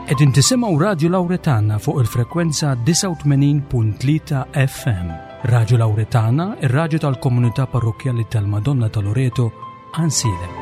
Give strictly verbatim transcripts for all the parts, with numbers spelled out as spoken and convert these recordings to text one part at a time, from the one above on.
Qegħdin tisimgħu Radju Lawretana fuq il-frekwenza disgħa u tmenin punt tlieta F M. Radju Lawretana, ir-radju tal-Komunità Parrokkjali tal-Madonna ta' Loreto, Għajnsielem.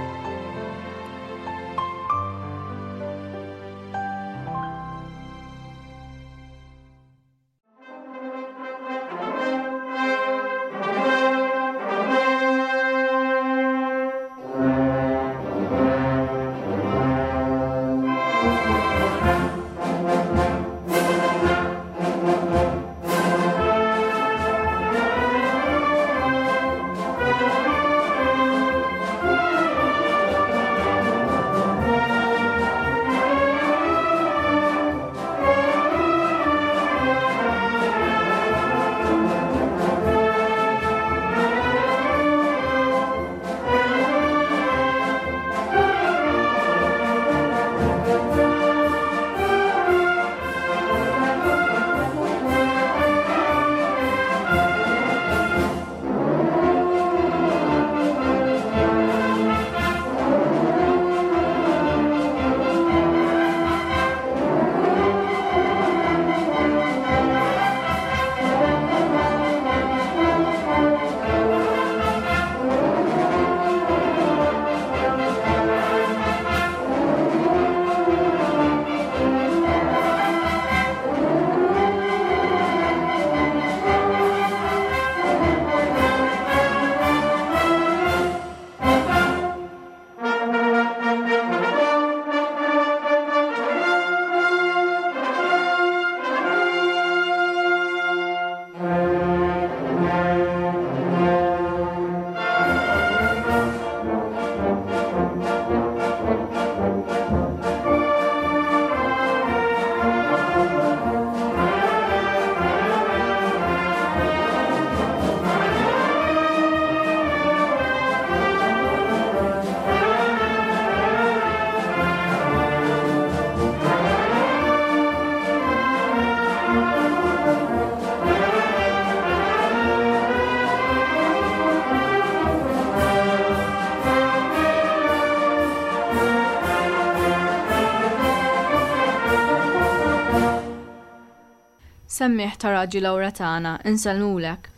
Semmiegħ ta' Radju Lawretana, insellmulek.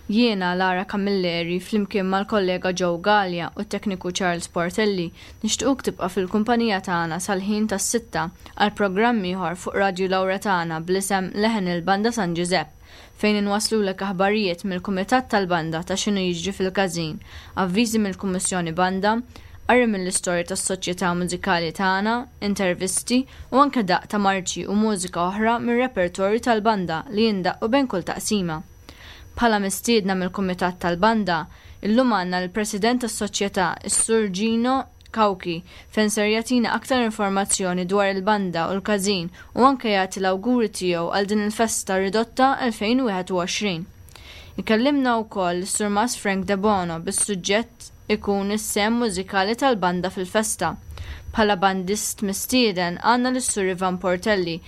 Jiena Lara Camilleri flimkien mal-kollega Joe Gallia u t-tekniku Charles Portelli nixtiequk tibqa' fil-kumpanija tagħna sal-ħin tas-sitta għal programm ieħor fuq Radju Lawretana bl-isem Leħen il-Banda San Giuseppe, fejn inwaslulek aħbarijiet mill-Kumitat tal-Banda ta' x'inhu jiġri fil-każin, avviżi mill-Kummissjoni Banda, qari mill-istorja tas-soċjetà mużikali tagħna, intervisti u anke daqq ta' marċi u mużika oħra mir-repertorju tal-banda li jindaqqu bejn kull taqsima. Bħala mistiedna mill-Kumitat tal-Banda, illum għandna l-President tas-Soċjetà, is-Sur Gino Cauchi, fejn ser jagħtina aktar informazzjoni dwar il-banda u l-każin u anke jagħti l-awguri tiegħu għal din il-festa ridotta elfejn u wieħed u għoxrin. Ikellimna wkoll is-Surmas Frank Debono bis-suġġett ikun is-sehem mużikali tal-banda fil-festa. Bħala bandist mistieden għandna lis-Sur Ivan Portelli,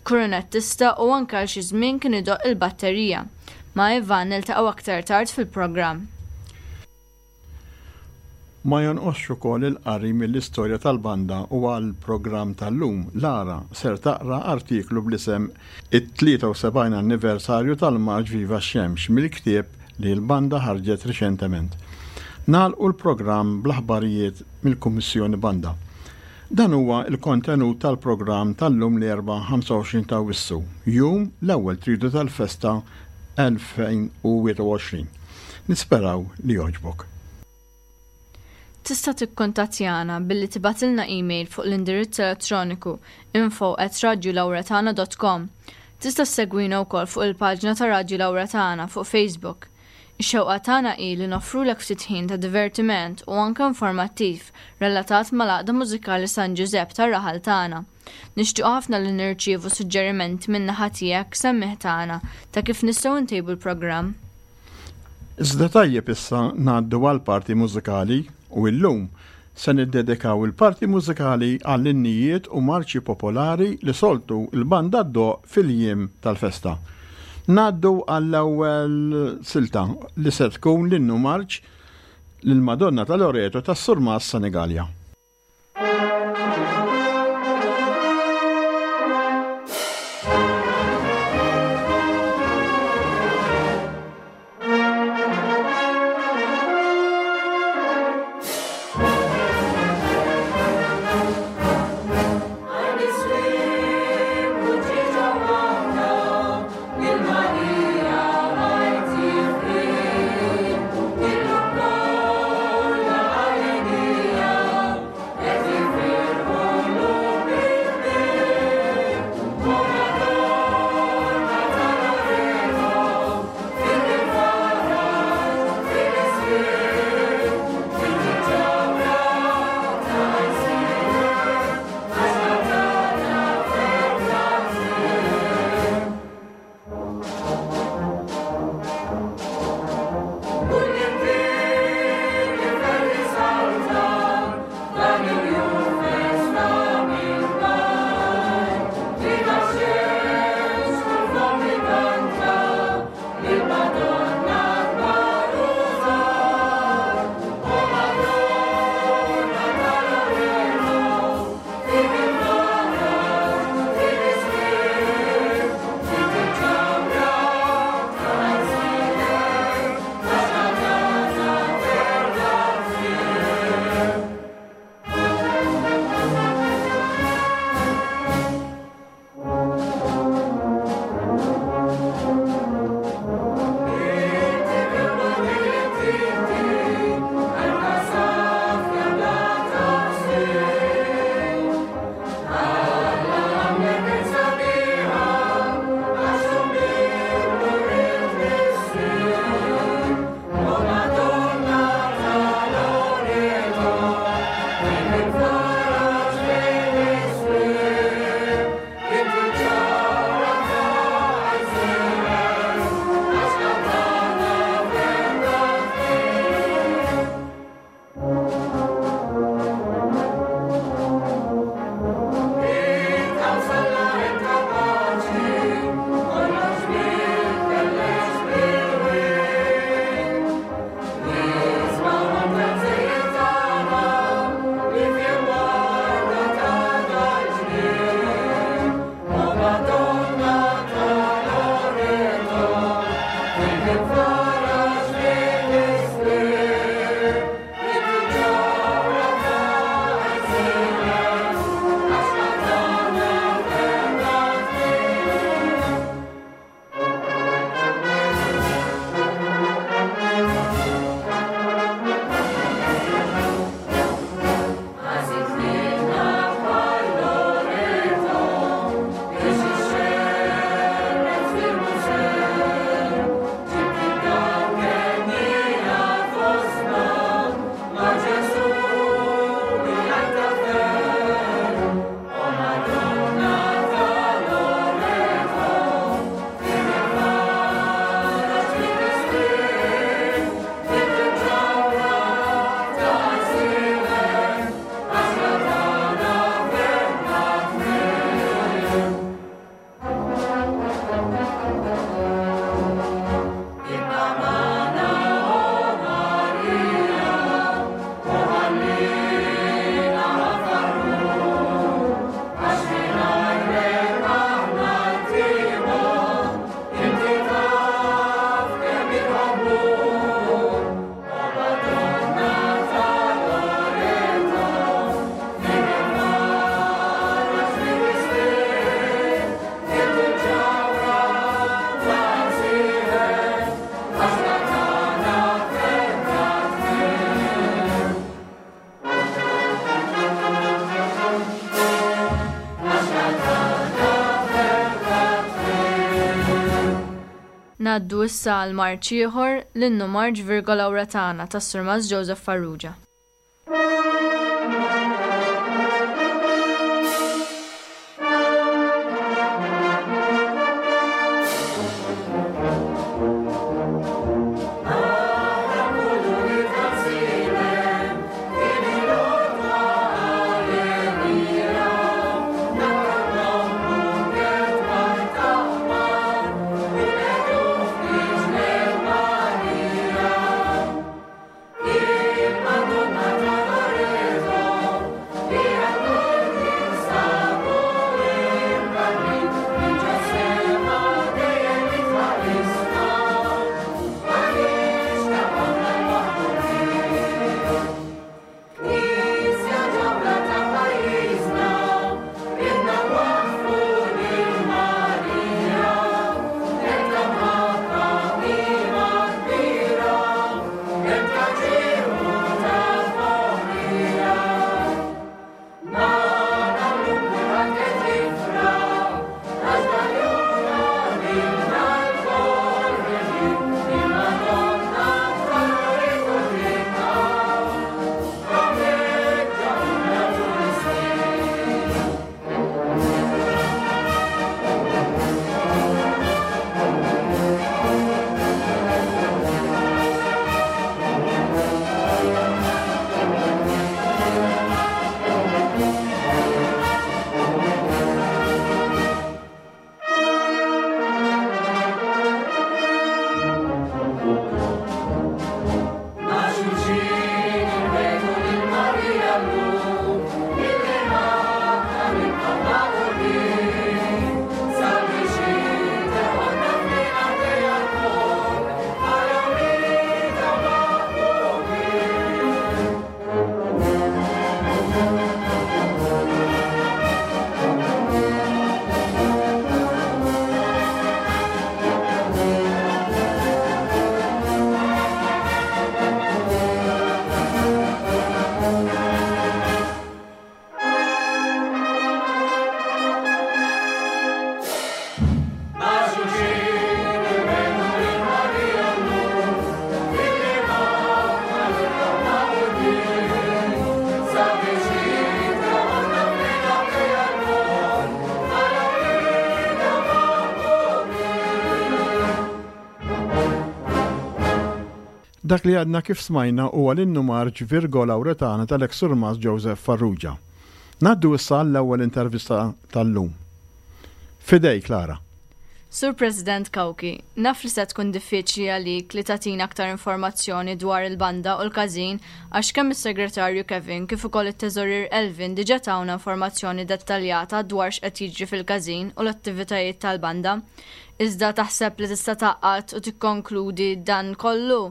koronettista u anke għal xi żmien kien idoqq il-batterija. Ma' Ivan niltaqgħu aktar tard fil-programm. Ma jonqosx ukoll il-qari mill-istorja tal-banda u għal-programm tal-lum Lara ser taqra artiklu bl-isem it-tlieta u sebgħin anniversarju tal-Marċ Viva Xemx mill-ktieb li l-banda ħarġet riċentement. Nagħlqu l-programm bl-aħbarijiet mill-Kummissjoni Banda. Dan huwa il-kontenut tal-programm tal-lum l-Erbgħa ħamsa u għoxrin ta' Awwissu, jum l-ewwel tridu tal-festa elfejn u wieħed u għoxrin. Nisperaw li jogħġbok. Tista' tikkuntattjana billi tibgħatilna email fuq l-indirizz elettroniku info at radiolawretana dot com. Tista' ssegwina wkoll fuq il-paġna ta' Radju Lawretana fuq Facebook. Ix-xewqa tagħna hi li noffrulek ftit ħin ta' divertiment u anke informattiv relatat mal-Għaqda Mużikali San Giuseppe tar-raħal tagħna. Nixtiequ ħafna li nirċievu suġġerimenti minn naħa tiegħek, semmiegħ tagħna, ta' kif nistgħu ntejbu l-programm. Iżda tajjeb issa ngħaddu għal parti mużikali u illum se niddedikaw il-parti mużikali għall-innijiet u marċi popolari li soltu il-banda ddoqq fil-jiem tal-festa. Ngħaddu għall-ewwel silta li se tkun l-innu marċ lil-Madonna ta' Loreto tas-Surmas Senegalia. Thank Ngħaddu issa għal marċ ieħor, l-innu marċ Virgo Lauretana tas-Surmast Joseph Farrugia. Dak li għadna kif smajna huwa l-innu marċ Virgo Lauretana tal-eks Surmast Joseph Farrugia. Ngħaddu issa l-ewwel intervista tal-lum. Fidejk, Lara. Sur President Cauchi, naf li se tkun diffiċli għalik li tagħtina aktar informazzjoni dwar il-banda u l-każin għax kemm is-segretarju Kevin kif ukoll it-teżorier Elvin diġà tawna informazzjoni dettaljata dwar x'qed jiġri fil-każin u l-attivitajiet tal-banda. Iżda taħseb li tista' tgħaqqad u tikkonkludi dan kollu?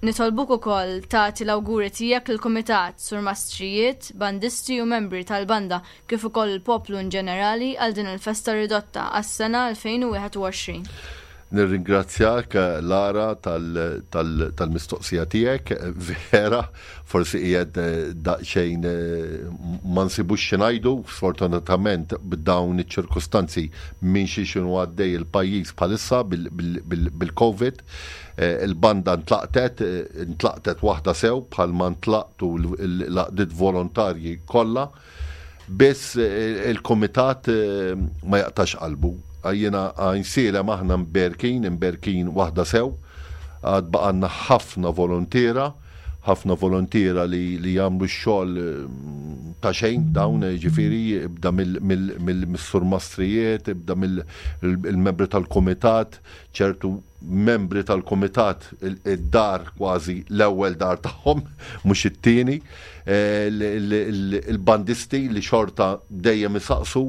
Nitolbuk ukoll tagħti l-awguri tiegħek lill-kumitat, surmastrijiet, bandisti u membri tal-banda kif ukoll il-poplu in ġenerali għal din il-festa ridotta għas-sena elfejn u wieħed u għoxrin. Nirringrazzjak Lara tal-mistoqsija tiegħek, vera, forsi qiegħed daqsxejn ma nsibux xi ngħidu, sfortunatament b'dawn iċ-ċirkustanzi minn xi x'inhu għaddej il-pajjiż bħalissa bil-COVID. Il-banda ntlaqtet, ntlaqtet waħda sew bħalma ntlaqtu l-għaqdiet volontarji kollha, biss il-kumitat ma jaqtax qalbu. Jiena għajnsielem aħna mberkin, mberkin waħda sew, għad baqanna ħafna volontiera, ħafna volontiera li, li jagħmlu x-xogħol ta' xejn dawn, ġifieri ibda mill-surmastrijiet, ibda mill-membri tal-kumitat, ċertu membri tal-kumitat id-dar kważi l-ewwel dar tagħhom, mhux it-tieni, il-bandisti li xorta dejjem isaqsu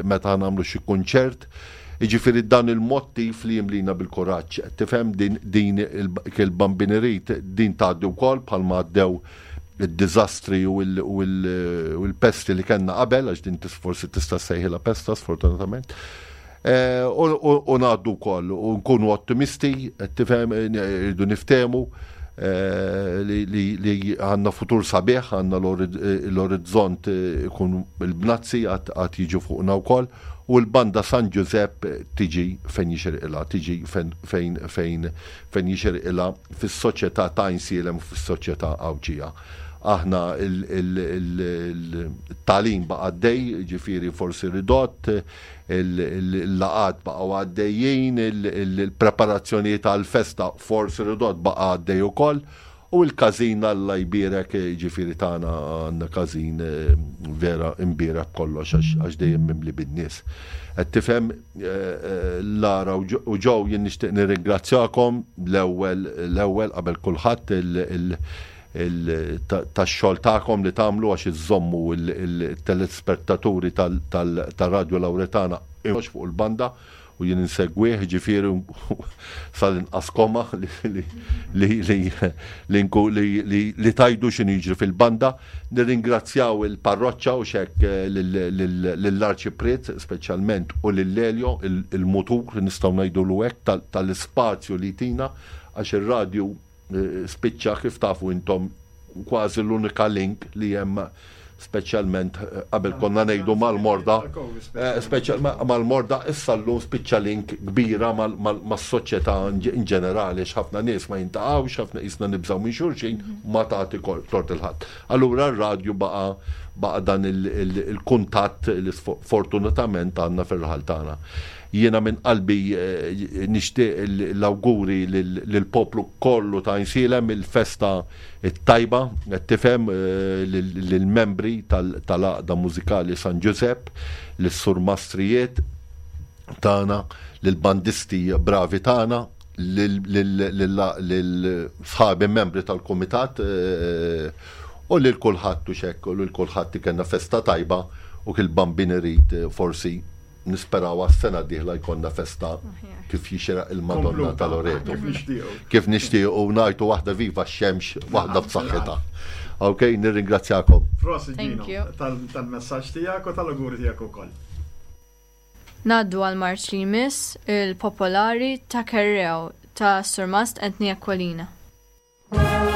meta nagħmlu xi kunċert. Jiġifieri dan il-mottiv li jimlina bil-kuraġġ. Tifhem din, din il-bambinerit din tgħaddi wkoll bħalma għaddew id-diżastri u l-pesti li kellna qabel, għax din forsi tista' ssejħilha pesta sfortunatament. U ngħaddu wkoll u nkunu ottimisti, tifhem, irridu niftehmu, eh, li għandna futur sabiħ, għandna l-orizzont ikun il-bnazzi għad jiġu fuqna wkoll, u l-banda San Giuseppe tiġi fejn jixirqilha, tiġi fejn fejn fejn jixirqilha fis-soċjetà ta' Għajnsielem u fis-soċjetà Għawdxija. Aħna il-tagħlim baqa' għaddej, ġifieri forsi ridott, il-laqat baqgħu għaddejjin, il-preparazzjonijiet għall-festa forsi ridott baqa' għaddej ukoll, u l-każin Alla jbierek, ġifieri tagħna għandna każin vera imbierek kollox għax dejjem mimli bin-nies. Qed tifhem, Lara u Joe, jien nixtieq nirringrazzjakom l-ewwel l-ewwel qabel kulħadd tax-xogħol tagħkom li tagħmlu għax iżommu il-telespettaturi tal-Radju Lawretana fuq il-banda, u jien insegwih, ġifieri sal-inqas koma li tajdu x'inhu jiġri fil-banda. Nirringrazzjaw il-parroċċa u xek lill-Arċipriet speċjalment u lil Elio, il-mutur nistgħu ngħidulu hekk tal-ispazju li tina, għax ir-radju spiċċa kif tafu intom kważi l-unika link li hemm, speċjalment qabel konna ngħidu mal-morda, speċjal mal-morda, issa llum spiċċa link kbira mas-soċjetà in ġenerali, għax ħafna nies ma jintaqgħux, ħafna qisna nibżgħu minn xulxin, ma tagħti tort il-ħadd. Allura r-radju baqa' baqa' dan il-kuntatt li fortunatament għandna fir-raħal tagħna. Jiena minn qalbi nixtieq l-awguri lill-poplu kollu ta' Għajnsielem, il-festa t-tajba, qed tifhem, lill-membri tal-Għaqda Mużikali San Giuseppe, lis-surmastrijiet tagħna, lill-bandisti bravi tagħna, lil-sħabi membri tal-kumitat, u lil kulħadd u xekk, u lil kulħadd kellna festa tajba, u kil Bambin irid forsi nisperaw għas-sena d-dieħla jkollna festa kif jixraq il-Madonna tal-Loreto. Kif nixtiequ. Kif nixtiequ u ngħidu waħda viva x-xemx, waħda b'saħħitha. Ok, nirringrazzjakom. Prosit Thank Gino, you. tal-messaġġ tiegħek u tal-auguri tiegħek ukoll. Naddu għal marċ li jmiss il-Popolari ta' Kerrew ta' Surmast Anthony Aquilina. Thank you.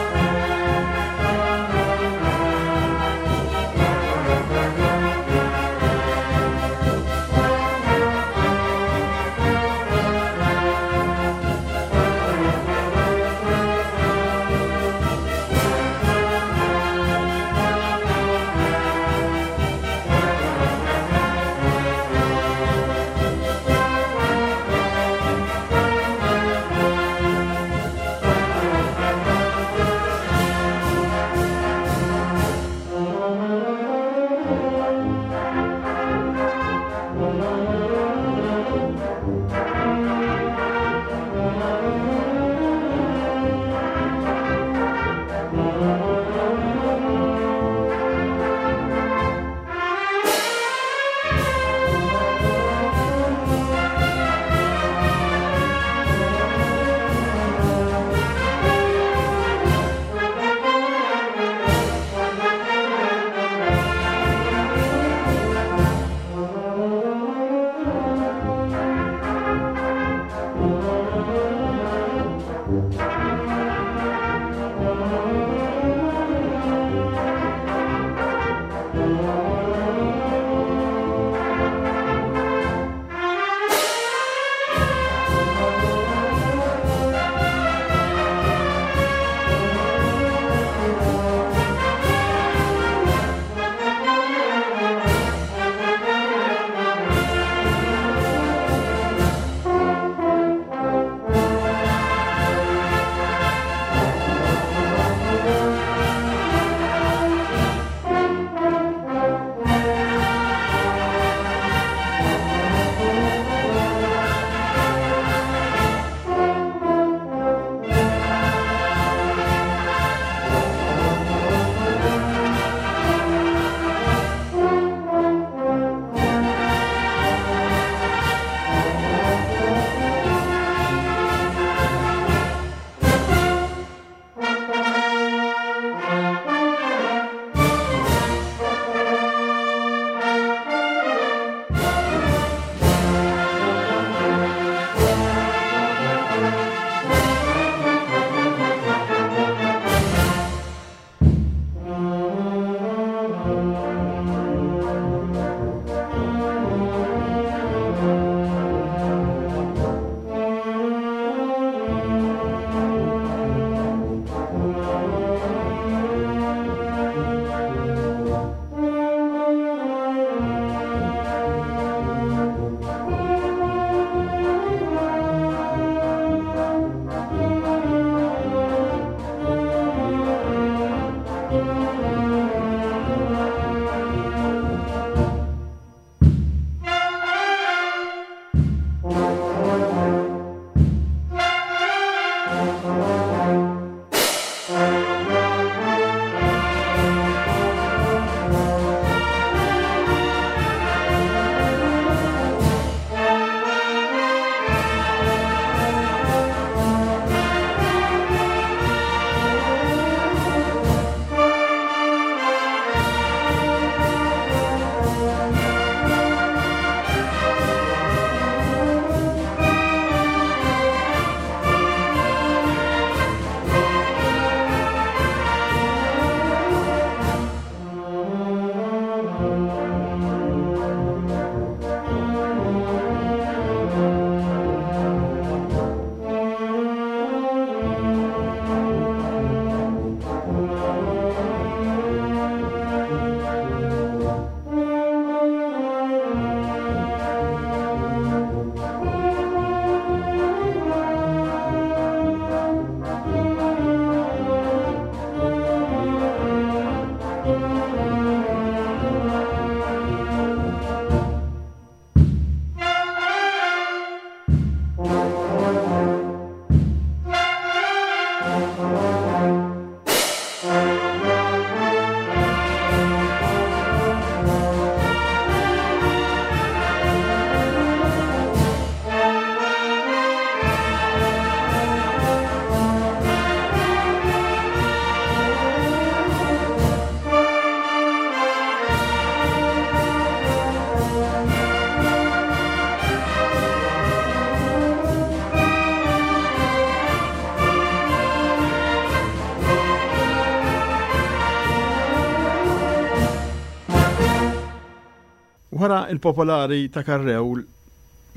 Wara il-popolari ta' Carreu,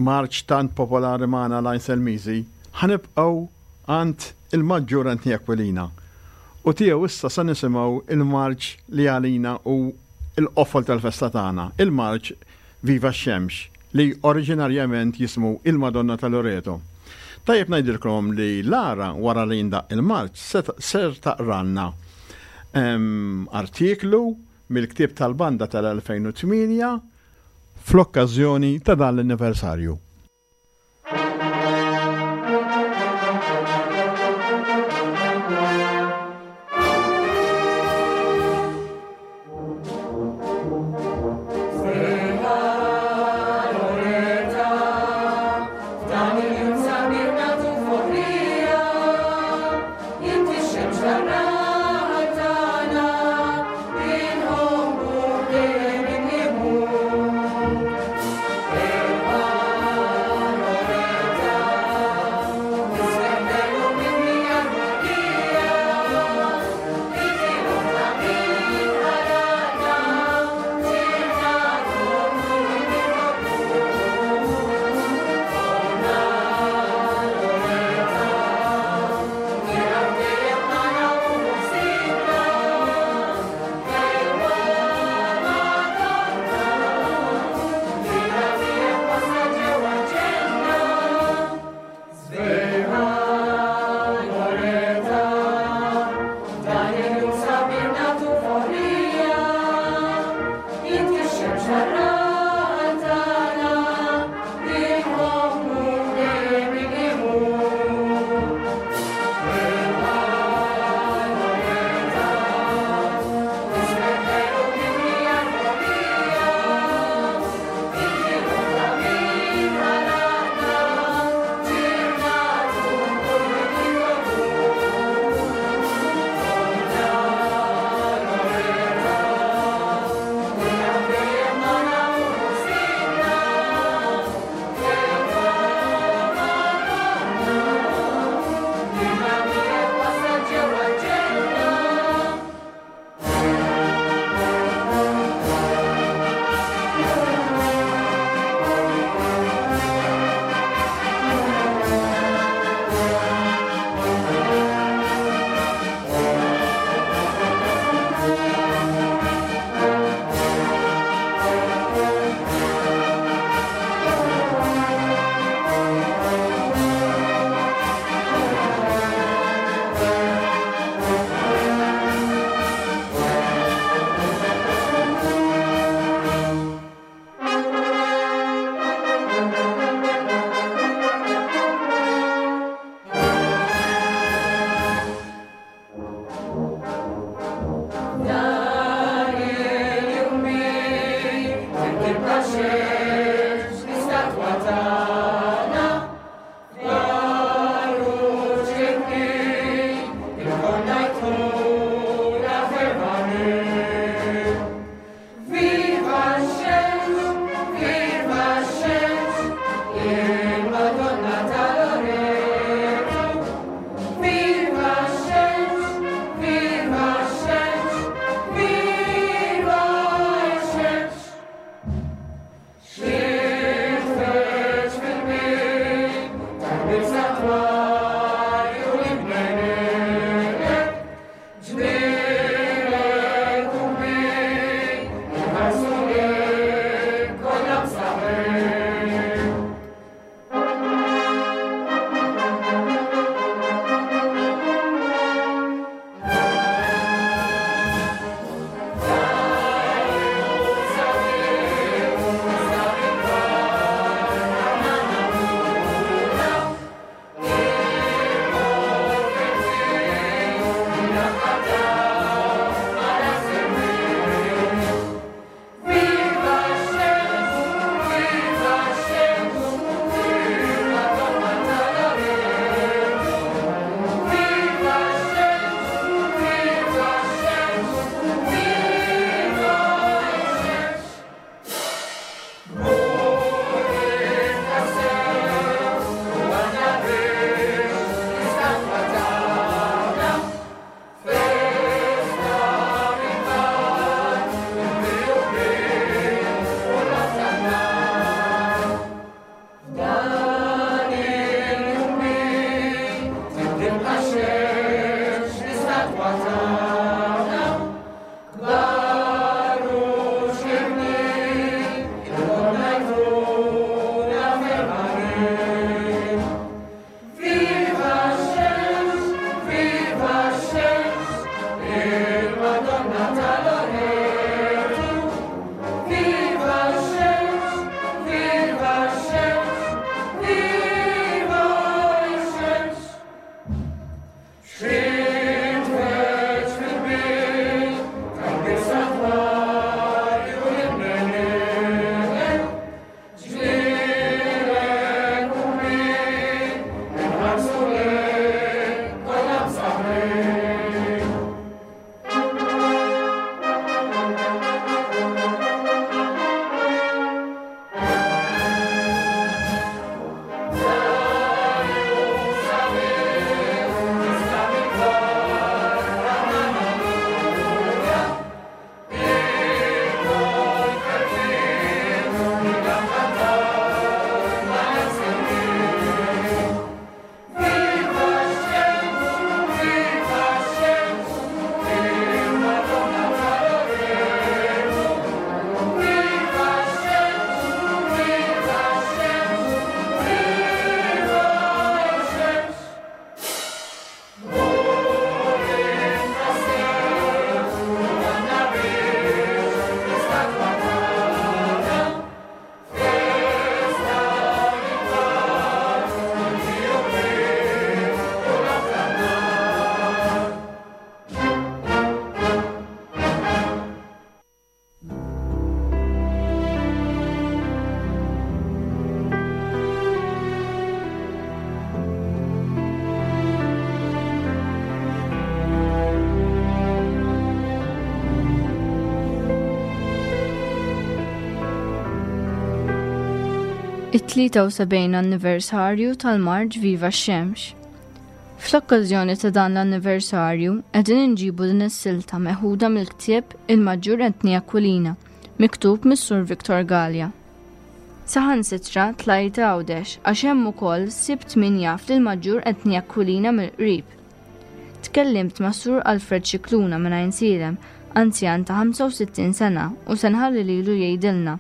marċ tant popolari magħna l-Għajn Selmiżi, ħa nibqgħu għand il-Maġġur Anthony Aquilina. U tiegħu issa sa nisimgħu il-marċ li għalina hu l-qofol tal-festa tagħna, il-marċ Viva x-Xemx, li oriġinarjament jismu il-Madonna ta' Loreto. Tajjeb ngħidilkom li Lara wara li jindaq il-marċ ser taqralna artiklu mill-ktieb tal-banda tal-elfejn u tmienja fl-okkażjoni ta' dan l-anniversarju. Amen. It-tlieta u sebgħin anniversarju tal-Marċ Viva x-Xemx. Fl-okkażjoni ta' dan l-anniversarju qegħdin inġibu din is-silta meħuda mill-ktieb Il-Maġġur Anthony Aquilina, miktub mis-Sur Victor Galea. Saħansitra tlajt Għawdex għax hemm ukoll sibt min jaf lill-Maġġur Anthony Aquilina mill-qrib. Tkellimt ma' Sur Alfred Scicluna minn Għajnsielem, anzjan ta' ħamsa u sittin sena, u se nħalli lilu jgħidilna.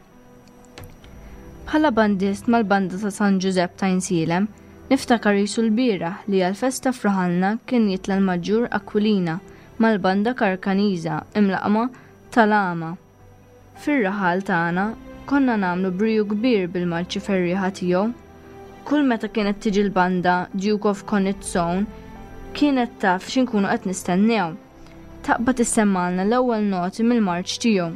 Bħala bandist mal-banda ta' San Ġużepp ta' Għajnsielem, niftakar jisu l-bieraħ li għal-festa f'raħalna kien jitla' l-Maġġur Aquilina mal-banda Karkaniża imlaqma tal-Għama. Fir-raħal tagħna konna nagħmlu briju kbir bil-marċi ferrieħa tiegħu. Kull meta kienet tiġi l-banda Duke of Connaught's Own kienet taf x'inkunu qed nistennew. Taqbad issemmalna l-ewwel noti mill-marċ tiegħu.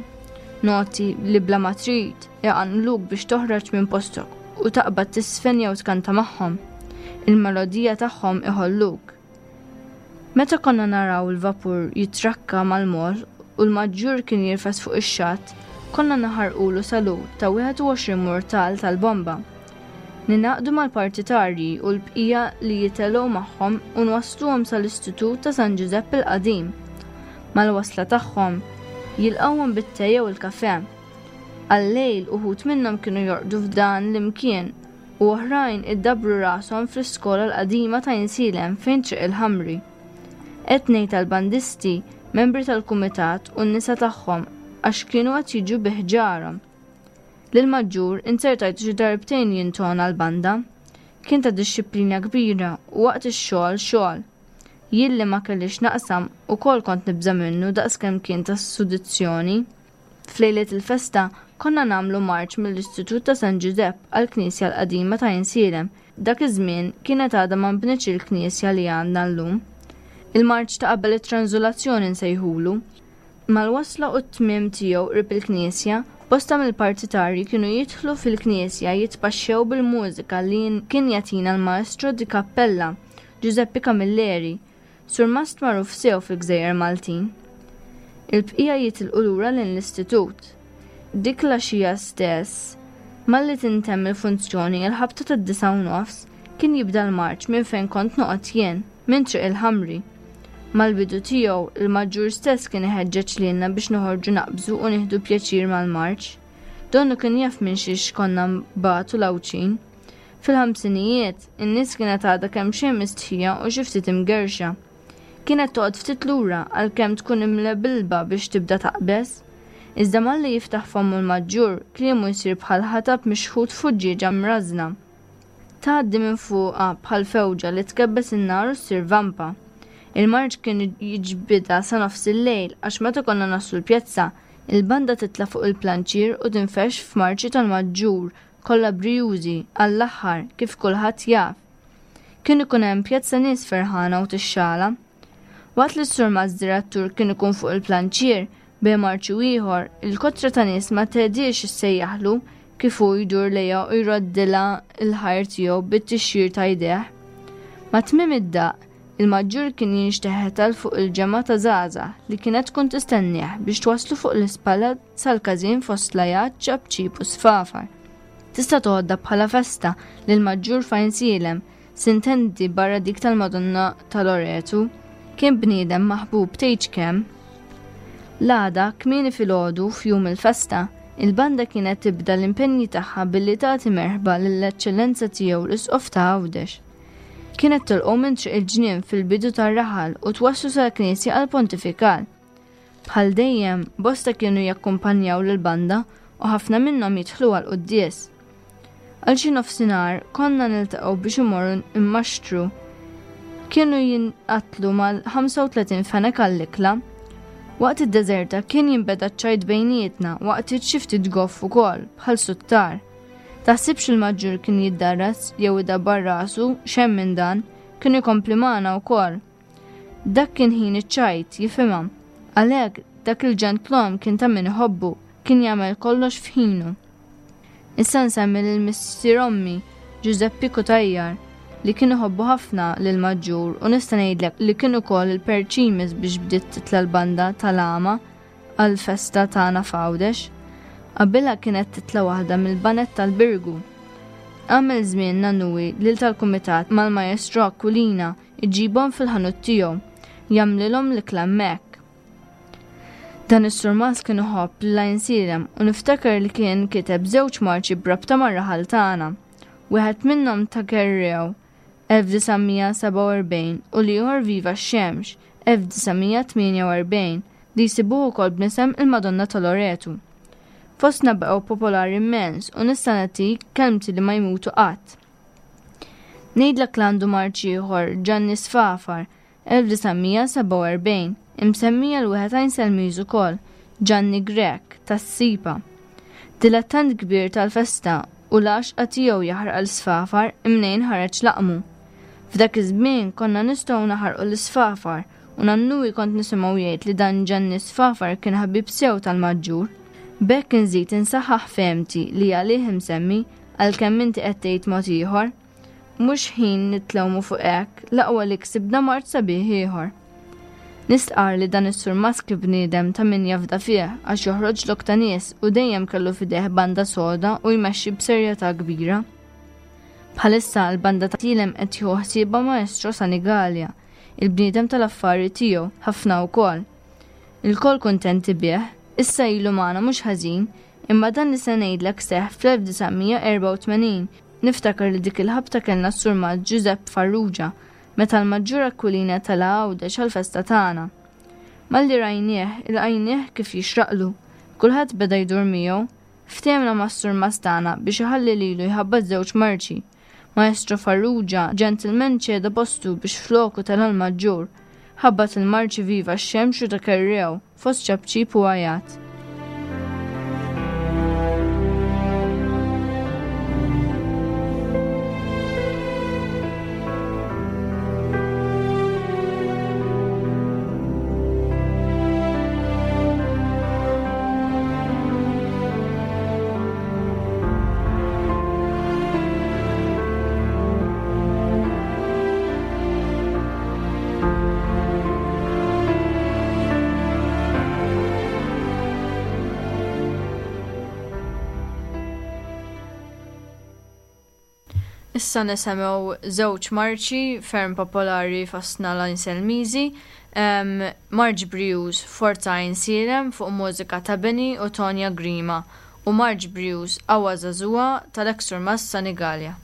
Noti li bla ma trid iqanqluk biex toħroġ minn postok u taqbad tisfen jew tkanta magħhom. Il-melodija tagħhom iħolluk. Meta konna naraw il-vapur jitrakka mal-mol u l-maġġur kien jirfes fuq ix-xatt, konna naħarqulu salut ta' wieħed u għoxrin murtal tal-bomba. Ninaqdu mal-partitarji u l-bqija li jitelgħu magħhom u nwassluhom sal-Istitut ta' San Ġużepp il-Qadim. Mal-wasla tagħhom jilqgħuhom bit-te jew il-kafe. Għal-lejl uħud minnhom kienu jorqdu f'dan l-imkien u oħrajn iddabru rashom fl-iskola l-qadima ta' Għajnsielem fejn Triq il-Ħamri. Qed ngħid tal-bandisti, membri tal-kumitat u n-nisa tagħhom għax kienu qed jiġu bi ħġarhom. Lil-maġġur inzertajtu xi darbtejn jintona l-banda. Kien ta' dixxiplina kbira u waqt ix-xogħol xogħol. Jien li ma kellix naqsam ukoll kont nibża' minnu daqskemm kien ta' sudizzjoni. F'lejliet il-festa konna nagħmlu marċ mill-Istitut ta' San Ġużepp għall-Knisja l-Qadima ta' Għajnsielem. Dak iż-żmien kienet għadha ma nbnietx il-knisja li għandna llum. Il-marċ ta' qabel it-tranżulazzjoni nsejħulu. Mal-wasla u t-tmiem tiegħu qrib il-knisja, bosta mill-partitarji kienu jidħlu fil-knisja jitpaxxew bil-mużika li kien jagħtina l-maestro di cappella, Giuseppe Camilleri, surmast magħruf sew fil-Gżejjer Maltin. Il-bqija jitilqu lura lejn l-istitut. Dik l-għaxija stess, malli tintemm il-funzjoni il-ħabta tad-disgħa u nofs, kien jibda l-marċ minn fejn kont noqgħod jien, minn Triq il-Ħamri. Mal-bidu tiegħu, il-maġġur stess kien iħeġġeġ lilna biex noħorġu naqbżu u nieħdu pjaċir mal-marċ. Donnu kien jaf minn xiex konna nbatu l-Għawdxin. Fil-ħamsinijiet, in-nies kienet għadha kemm xejn mistħija u xi ftit imgerxa. Kienet toqgħod ftit lura għalkemm tkun imlebilba biex tibda taqbeż. Iżda malli jiftaħ fommu l-maġġur, kliemu jsir bħal ħatab mixħut fuġġieġa mrażna. Tgħaddi minn fuqha bħal fewġa li tkebbes in-nar u ssir vampa. Il-marċ kien jiġbidha sa nofs il-lejl għax meta konna naslu l-pjazza, il-banda titla' fuq il-planċier u tinfex f'marċi tal-maġġur kollha brijużi għall-aħħar kif kulħadd jaf. Kien ikun hemm pjazza nies ferħana u tixxala. Waqt li s-surmast direttur kien ikun fuq il-planċier bejn marċi u ieħor, il-kotra ta' nies ma tgħidix issejjaħlu kif hu jdur lejha u jroddilha l-ħajr tiegħu bit-tixjir ta' jdejh. Ma' tmiem id-daqq, il-maġġur kien jinxteħet għal fuq il-ġemgħa ta' żgħażagħ li kienet tkun tistennieh biex twasslu fuq l-ispalla sal-każin fost lajat, ċapċip u sfafar. Tista' toħodha bħala festa li l-maġġur f'Għajnsielem, sintendi barra dik tal-Madonna tal-Loretu, kien bniedem maħbub tgħidx kemm. L-għada, kmieni filgħodu f'jum il-festa, il-banda kienet tibda l-impenji tagħha billi tagħti merħba lill-Eċċellenza tiegħu l-Isqof ta' Għawdex. Kienet tilqgħu minn Triq il-Ġnien fil-bidu tar-raħal u twasslu sal-Knisja għall-Pontifikal. Bħal dejjem, bosta kienu jakkumpanjaw lill-banda u ħafna minnhom jidħlu għall-quddies. Għal xi nofsinhar konna niltaqgħu biex imorru immaxtru. Kienu jinqatlu mal-ħamsa u tletin fenek għall-ikla. Waqt id-deżerta kien jinbeda ċ-ċajt bejnietna waqt xi ftit goff ukoll bħal suttar. Taħsibx il-maġġur kien jiddarras jew idabbar rasu xemm minn dan, kien ikompli magħna wkoll. Dak kien ħin iċ-ċajt, jifhimha. Għalhekk dak il-ġentlom kien ta' min iħobbu, kien jagħmel kollox f'ħinu. Issa nsemmi lil missier ommi, Giuseppe Cutajar, li kien iħobbu ħafna lil maġġur u nista' ngħidlek li kien ukoll il-perċimis biex bdiet titla' l-banda tal-għama għall-festa tagħna f'Għawdex. Qabilha kienet titla' waħda mill-banet tal-Birgu. Għamel żmien nannuwi lil tal-kumitat mal-Maestro Aquilina iġibhom fil-ħanut tiegħu, jagħmlilhom l-ikla hemmhekk. Dan is-surmast kien iħobb lil Għajnsielem u niftakar li kien kiteb żewġ marċi b'rabta mar-raħal tagħna. Wieħed minnhom ta' Kerrew elf disa' mija sebgħa u erbgħin u l-ieħor Viva x-Xemx elf disa' mija tmienja u erbgħin li jsibuh ukoll b'nisem il-Madonna ta' Loretu. Fostna baqgħu popolari immens u nista' nagħtik kelmti li ma jmutu qatt. Ngħidlek li għandu marċ ieħor Ġanni Sfafar elf disa' mija sebgħa u erbgħin, imsemmija l-wieħed Għajnselmiż ukoll, Ġanni Grech tas-Sipa. Dilettant kbir tal-festa u l-għaxqa tiegħu jaħraq l-sfafar imnejn ħareġ laqmu. F'dak iż-żmien konna nistgħu naħarqu l-isfafar u nannuwi kont nisimgħu jgħid li dan Ġanni Sfafar kien ħabib sew tal-maġġur. B'hekk inżid insaħħaħ fehmti li għalih imsemmi għalkemm inti qed tgħid mod ieħor. Mhux ħin nitlewmu fuq hekk, l-aqwa li ksibna mart sabiħ ieħor. Nistqar li dan is-surmast kif bniedem ta' min jafda fih għax joħroġ lok ta' nies u dejjem kellu f'idejh banda soda u jmexxi b'serjetà kbira. Bħalissa l-banda ta' Tilem qed jieħu ħsiebha Maestro Sanigalia, il-bniedem tal-affari tiegħu ħafna wkoll. Il-kol kuntenti bih, issa ilu magħna mhux ħażin, imma dan li se ngħidlek seħħ fl-elf disa' mija erbgħa u tmenin. Niftakar li dik il-ħabta kellna s-surmast Giuseppe Farrugia meta l-Maġġur Aquilina tala' Għawdex għall-festa tagħna. Malli rajnieh, ilqajnieh kif jixraqlu. Kulħadd beda jdur miegħu. Ftehemna mas-surmast tagħna biex iħalli lilu jħabbat żewġ marċi. Maestro Farrugia, gentleman ċeda postu biex floku tala' l-Maġġur. Ħabbat il-marċi Viva x-Xemx u ta' Kerrew, fost ċapċip u għajat. Issa nisimgħu żewġ marċi ferm popolari fostna l-Għajnselmiżi, em, Marċ Brijuż Forza Għajnsielem fuq mużika ta' Benny u Tonya Grima u Marċ Brijuż Qawwa Żagħżugħa tal-eks surmast Sanigalia.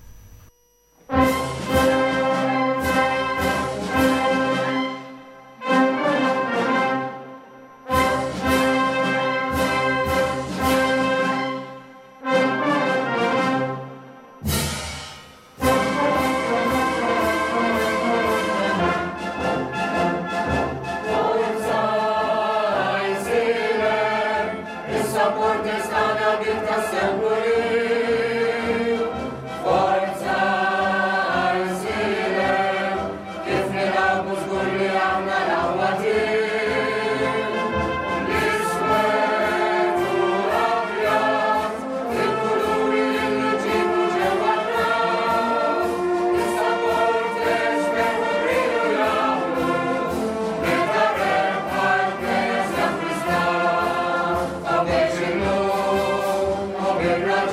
Amen.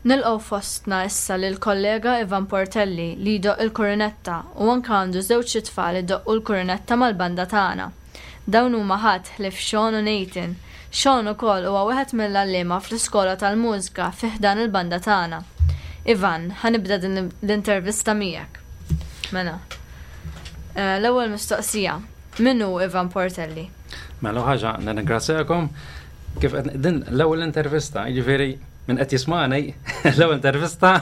Nilqgħu fostna issa lil kollega Ivan Portelli li jdoqq il-kurunetta u anke għandu żewġ itfal idoqqu l-kurunetta mal-banda tagħna. Dawn huma ħadd ħlief Sean u Nathan. Sean ukoll huwa wieħed mill-għalliema fl-iskola tal-mużika fi ħdan il-banda tagħna. Ivan, ħa nibda din l-intervista miegħek. Mela. Eh, l-ewwel mistoqsija. Min hu Ivan Portelli? Mela ħaġa, nirringrazzjakom. Kif din l-ewwel intervista, jiġifieri min qed jismani, l-ewwel intervista.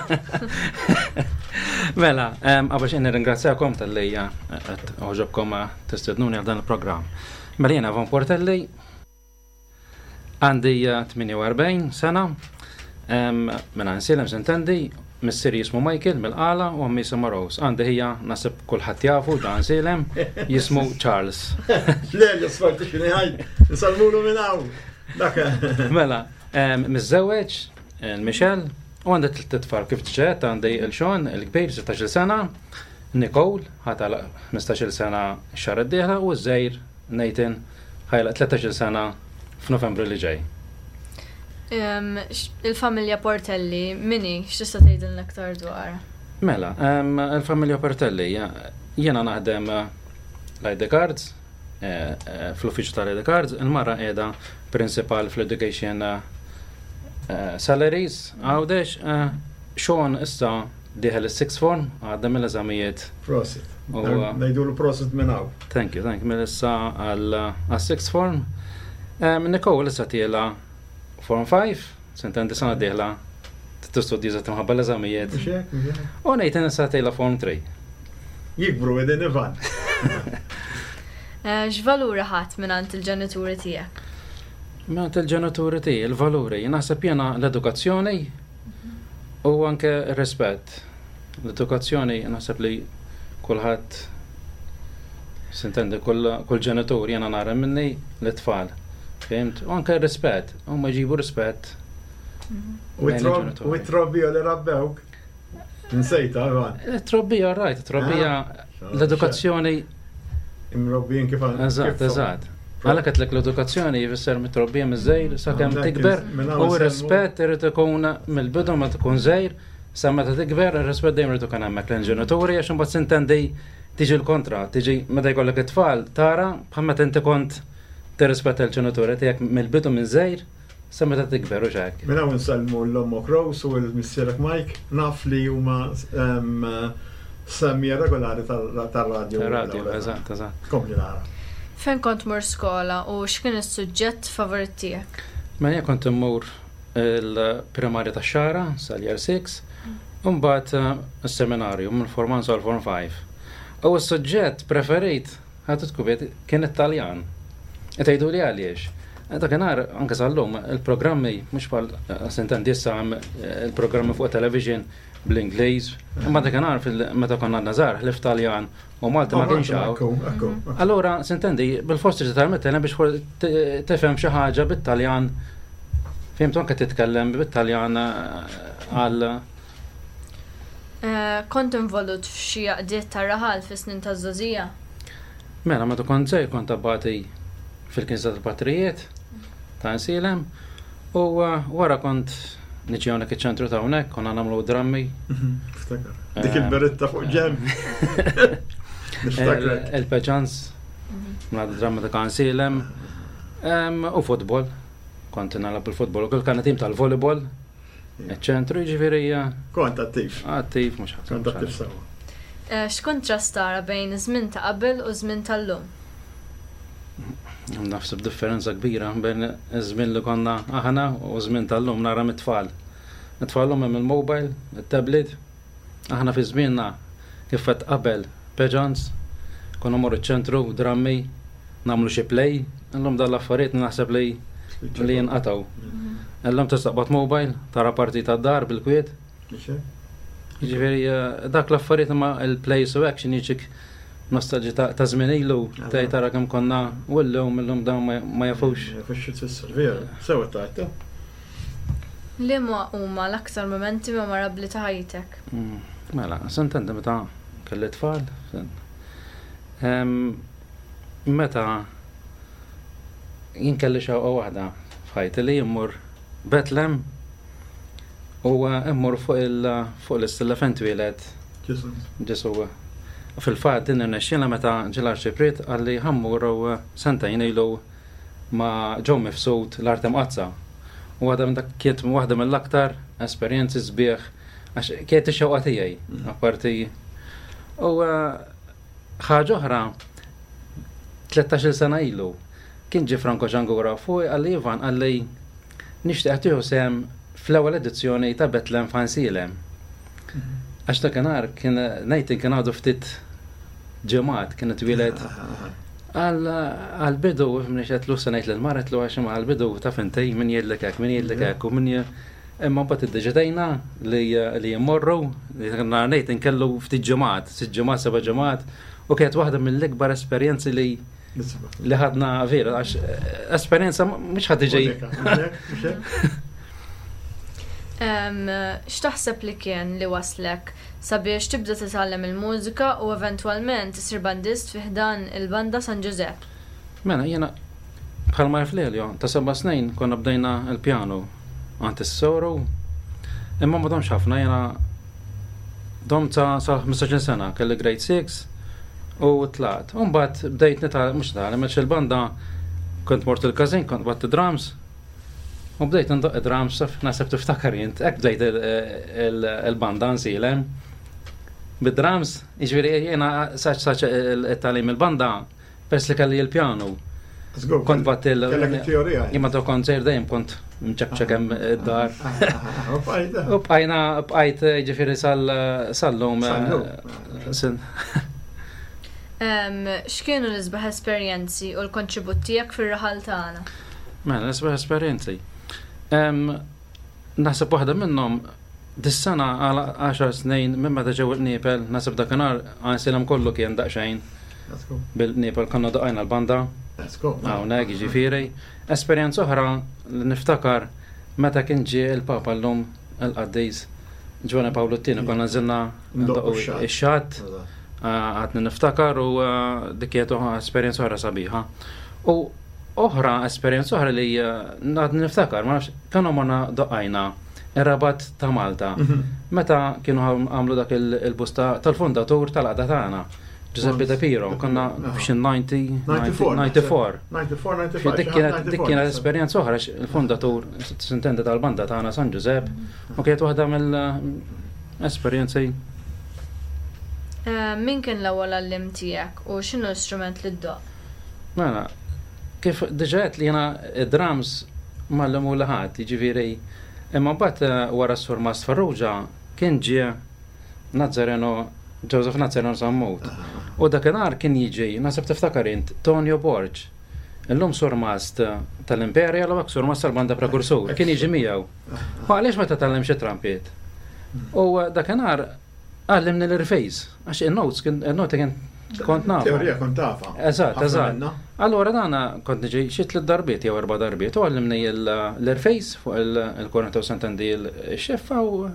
Mela, qabel xejn nirringrazzjakom talli qed għoġobkom tistednuni għal dan il-programm. Mela jiena Ivan Portelli, għandi tmienja u erbgħin sena, minn Għajnsielem s'intendi, missieri jismu Michael mill-Qala u ommi jisimha Rose. Għandi ħija naħseb kulħadd jafu ġo Għajnsielem, jismu Charles. Le, le, sfarti xini ħaj, nsellmulu minn hawn. Dak. Mela, miżżewweġ, Michelle, u għandi tliet tfal kif ġiet, għandi il-Sean, il-kbir, sittax-il sena, Nicole, ħa tagħlaq ħmistax-il sena x-xahar id-dieħla, u ż-żgħir Nathan ħa jagħlaq tlettax-il sena f'Novembru li ġej. Il-familja Portelli, min hi, x'tista' tgħidilna aktar dwar? Mela, il-familja Portelli, jiena naħdem l-I D Cards, eh, eh, fl-uffiċċju tal-I D Cards, il-mara qiegħda principal fl-Education eh, Salaries, Għawdex, Sean issa dieħel is-sixth form, għadda mill-eżamijiet. Prosit. Ngħidulu prosit minn hawn. Thank you, thank you. Mill-issa għal sixth form. Nicole issa tiela' Form five, s'intendi sena dieħla tistudja minħabba l-eżamijiet. U Nathan issa tiela' Form three. Jikbru edin Ivan. Eh, x'valuri ħadt mingħand il-ġenituri tiegħek? Mingħand il-ġenituri tiegħi, il-valuri, naħseb jiena l-edukazzjoni u anke r-rispett. L-edukazzjoni naħseb li kulħadd s'intendi kull kull ġenitur jiena nara minni l-tfal. Fhimt? U anke r-rispett, huma jġibu rispett. U lejn il-ġenituri. U t-trobbija li rabbewk. Nsejta, Ivan. It-trobbija, right, it-trobbija, l-edukazzjoni. Imrobbijin kif għan- Eżatt, kif- eżatt. Għalhekk għedtlek l-edukazzjoni jfisser mit-trobbija miż-żgħir sakemm Għandek tikber minn hawn u nsemmu- r-rispett irid ikun mill-bidu ma tkun żgħir sa meta tikber ir-rispett dejjem irid ikun hemmhekk lejn ġenituri għax imbagħad s'intendi tiġi l-kontra, tiġi meta jkollok it-tfal tara bħal meta inti kont tirrispetta l-ġenituri tiegħek mill-bidu minn żgħir sa meta tikber u hekk. Minn hawn nsellmu 'l ommok Rose u l-missierek Mike, naf li huma em, semmiegħa regolari tal-radio. Radio, eżatt, eżatt. Kompli nara. Fejn kont tmur skola u x'kien is-suġġett favorit tiegħek? Mela jien kont immur il-primarja tax-Xagħra sal-year six, u mbagħad eh, is-seminarju minn Form one sal Form five. U s-suġġett preferit ħadu tkubiet kien it-Taljan. Tgħidu li għaliex. Dakinhar anke sal-lum il-programmi mhux bħal eh, s'intendi issa hemm eh, il-programmi fuq television bl-Ingliż, imma dakinhar fil- meta konna żgħar ħlief Taljan u Malti ma kienx hawn. Ekku, ekku. Allura, s'intendi, bil-forsi titgħallem it-Taljan biex for- t- tifhem xi ħaġa bit-Taljan. Fhimt anke titkellem bit-Taljan eh, għal Eh, Kont involut f'xi għaqdiet tar-raħal fis-snin taż-żgħożija? Mela, meta kont żgħir kont abbati fil-Knisja tal-Patrijiet ta' Għajnsielem u eh, wara kont niġi hawnhekk iċ-ċentru ta' hawnhekk konna nagħmlu drammi. Ftakar. Dik il-beretta fuq ġenb. Niftakrek. Il-peġans, mela dramma ta' Għajnsielem u futbol. Kont nilgħab il-futbol u kull kan tim tal-volleyball. Iċ-ċentru jiġifieri eh, Kont attiv. Attiv mhux ħadd. Kont attiv sewa. Eh, X'kuntrast tara bejn iż-żmien ta' qabel u żmien tal-lum? Naħseb differenza kbira bejn iż-żmien li konna aħna u żmien tal-lum nara mit-tfal. It-tfal lum hemm il-mobile, il-tablet. Aħna fi żmienna kif qed qabel pageants, konna mmorru ċ-ċentru, drammi, nagħmlu xi play, illum dal-affarijiet naħseb li li jinqatgħu. Illum tista' taqbad mobile, tara partita d-dar bil-kwiet. Jiġifieri eh, dak l-affarijiet ma il-plays u action jiġik nostalġi ta' ta' żmien ilu tgħid tara kemm konna u llum illum dawn ma- ma jafux. Jafux tfisser, vera. Sewa tajta. Liema huma l-aktar momenti memorabbli ta' ħajtek? Mm, Mela, s'intendi meta kelli tfal. sen- Em, Meta jien kelli xewqa waħda f'ħajti li jimmur Betlem U immur fuq l-istilla fejn twieled Ġesu. Fil-fatt din irnexxielna meta ġie l-Arċipriet qalli ħa mmorru sentejn ilu ma' Joe Mifsud l-Art Imqaddsa. U waħda minn dak kienet waħda mill-aktar esperjenzi sbieħ għax kienet ix-xewqa tiegħi apparti. U ħaġa oħra, tlettax-il sena ilu kien ġie Franco Ġangura fuq qalli Ivan, qalli nixtieq tieħu sehem fl-ewwel edizzjoni ta' Betlem f'Għajnsielem. Għax dakinhar kien ngħid kien għadu ftit ġimgħat kien twieled. Għal-bidu, minn qed se ngħid lill-mara għedtlu għax għal-bidu taf inti min jgħidlek hekk, min jgħidlek hekk u min imma mbagħad iddeċidejna li li jmorru, li ngħid inkellu ftit ġimgħat, sitt ġimgħat, seba' ġimgħat, u kienet waħda mill-ikbar esperjenzi li li ħadna vera, għax esperjenza mhux ħadd iġi. X'taħseb li kien li waslek sabiex tibda titgħallem il-mużika u eventwalment isir bandist fi ħdan il-banda San Ġużepp? Mela, jiena bħalma jaf Lelio, ta' seba' snin konna bdejna l-pjanu għand is-soru, imma ma domx ħafna, jiena domt sa ħmistax-il sena, kelli grade six u tlaqt. U mbagħad bdejt nitgħallem, mhux nitgħallem, għax il-banda kont mort il-każin, kont batt drums, u bdejt ndoqq drums, naħseb tiftakar int, hekk bdejt il-banda nsilem. Bid-drums, jiġifieri jiena saċ saċ it-tagħlim il-banda, peress li kelli l-pjanu. Kont bat il- Kellek it-teorija. Jien meta kont żgħir dejjem kont mċekċek hemm id-dar. U bqajna bqajt jiġifieri sal-lum. Sal-lum. X'kienu l-isbaħ esperjenzi u l-kontribut tiegħek fir-raħal tagħna? Mela, l-isbaħ esperjenzi. Naħseb waħda minnhom dis-sena għal għaxar snin minn meta ġew il-qniepel, naħseb dakinhar Għajnsielem kollu kien daqsxejn bil-qniepel konna doqajna l-banda. Hawnhekk jiġifieri. Esperjenza oħra li niftakar meta kien ġie il-Papa llum il-Qaddis Ġwanni Pawlu t-tieni konna nżilna ndoqqu ix-xatt. Għadni niftakar u dik kienet esperjenza oħra sabiħa. U oħra esperjenza oħra li għadni niftakar, ma nafx, kienu morna doqqajna ir-Rabat ta' Malta. Meta kienu għamlu dak il-busta tal-fundatur tal-għaqda tagħna, Giuseppe De Piro, konna f'xi ninety, ninety-four. Dik kienet dik kienet esperjenza oħra il-fundatur s'intendi tal-banda tagħna San Giuseppe u kienet waħda mill-esperjenzi. Min kien l-ewwel għallim tiegħek u x'inhu l-istrument li ddoqq? Mela, kif diġà għedt li jiena id-drums m'għallmu li ħadd, jiġifieri imma mbagħad wara s-Sur Mast Farrugia kien ġie Nazzareno, Joseph Nazzareno Sammut. U dakinhar kien jiġi, naħseb tiftakar int, Tonio Borg. Illum Sur Mast tal-Imperial u Sur Mast tal-Banda Prekursur, kien jiġi miegħu. U għaliex ma titgħallimx it-trumpet? U dakinhar għallimni l-irfejs, għax il-notes, il-noti kien kont nafa. Teorija kont tafa. Eżatt, Ħafna eżatt. minna. Allora dana kont niġi xi tliet darbiet jew erba' darbiet u għallimni l-irfejs fuq il-kornetta u s'intendi l-xeffa u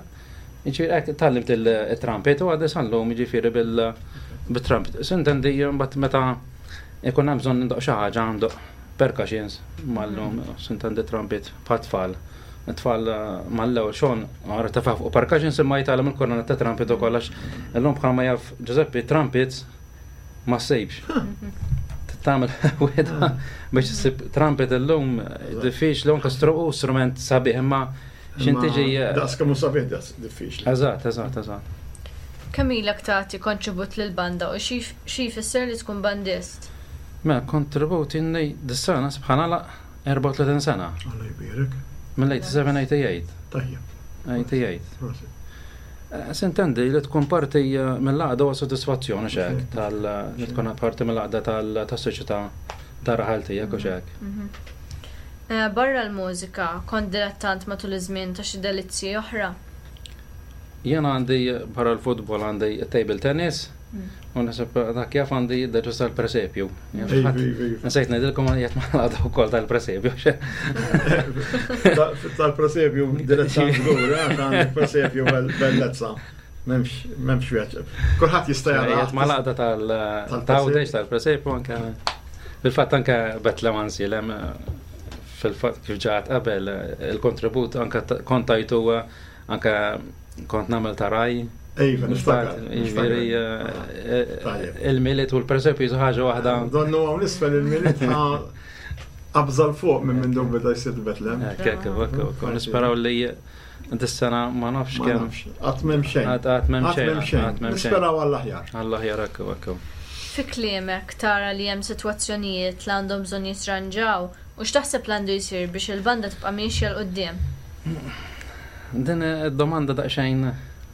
jiġifieri hekk tgħallimt il-trumpet u għadni sal-lum jiġifieri bil-trumpet. S'intendi mbagħad meta ikun hemm bżonn ndoqq xi ħaġa ndoqq percussions mal-lum s'intendi trumpet bħat-tfal. It-tfal mal-ewwel xogħol għara tafa fuq percussions imma jitgħallem il-kornetta ta' trumpet ukoll għax illum bħalma jaf Giuseppe trumpets ma ssibx. Tagħmel wieħda biex issib trumpet illum diffiċli anke strument sabiħ imma x'in tiġi Daqs kemm hu sabiħ daqs diffiċli. Eżatt, eżatt, eżatt. Kemm ilek tagħti kontribut lill-banda u xi jfisser li tkun bandist? Mela, kontribut inni dis-sena bħala erbgħa u tletin sena. Alla jbierek. Mill-eighty-seven, eighty-eight. Tajjeb. eighty-eight. Prosit. S'intendi li tkun parti mill-għaqda huwa sodisfazzjoni x'hekk, tal li tkun parti mill-għaqda tas-soċjetà tar-raħal tiegħek u x'hekk. Barra l-mużika, kont dilettant matul iż-żmien ta' xi delizzji oħra? Jiena għandi barra l-futbol għandi table tennis, u naħseb dak jaf għandi deġu tal-presepju. Nsejt ngħidilkom qiegħed mal-għaqda wkoll tal-presepju. Tal-presepju dilettant żgur, għax għandek presepju bellezza. M'hemmx, m'hemmx vjaġġ. Kulħadd jista' jara. Qiegħed mal-għaqda tal-Tawdex tal-presepju anke fil-fatt anke Betlem Għajnsielem fil-fatt kif ġat qabel il-kontribut anke kontajtu Anke kont nagħmel ta' raj. Iva, niftakar. Jiġifieri eh, eh, il-Milied u l-presepju jisu ħaġa waħda. Donnu hawn isfel il-Milied qabżal fuq minn minn dun beda jsir Betlem. Hekk, hekk, hekk, hekk. Nisperaw li dis-sena ma nafx Ma kemm. nafx, Qatt m'hemm xejn. Qatt qatt m'hemm Qatt xejn. m'hemm xejn. Qatt m'hemm xejn. Nisperaw għall-aħjar. Għall-aħjar hekk, hekk. Fi kliemek tara li hemm sitwazzjonijiet li għandhom bżonn jitranġaw u x'taħseb li għandu jsir biex il-banda tibqa' miexja 'l quddiem? Din id-domanda daqsxejn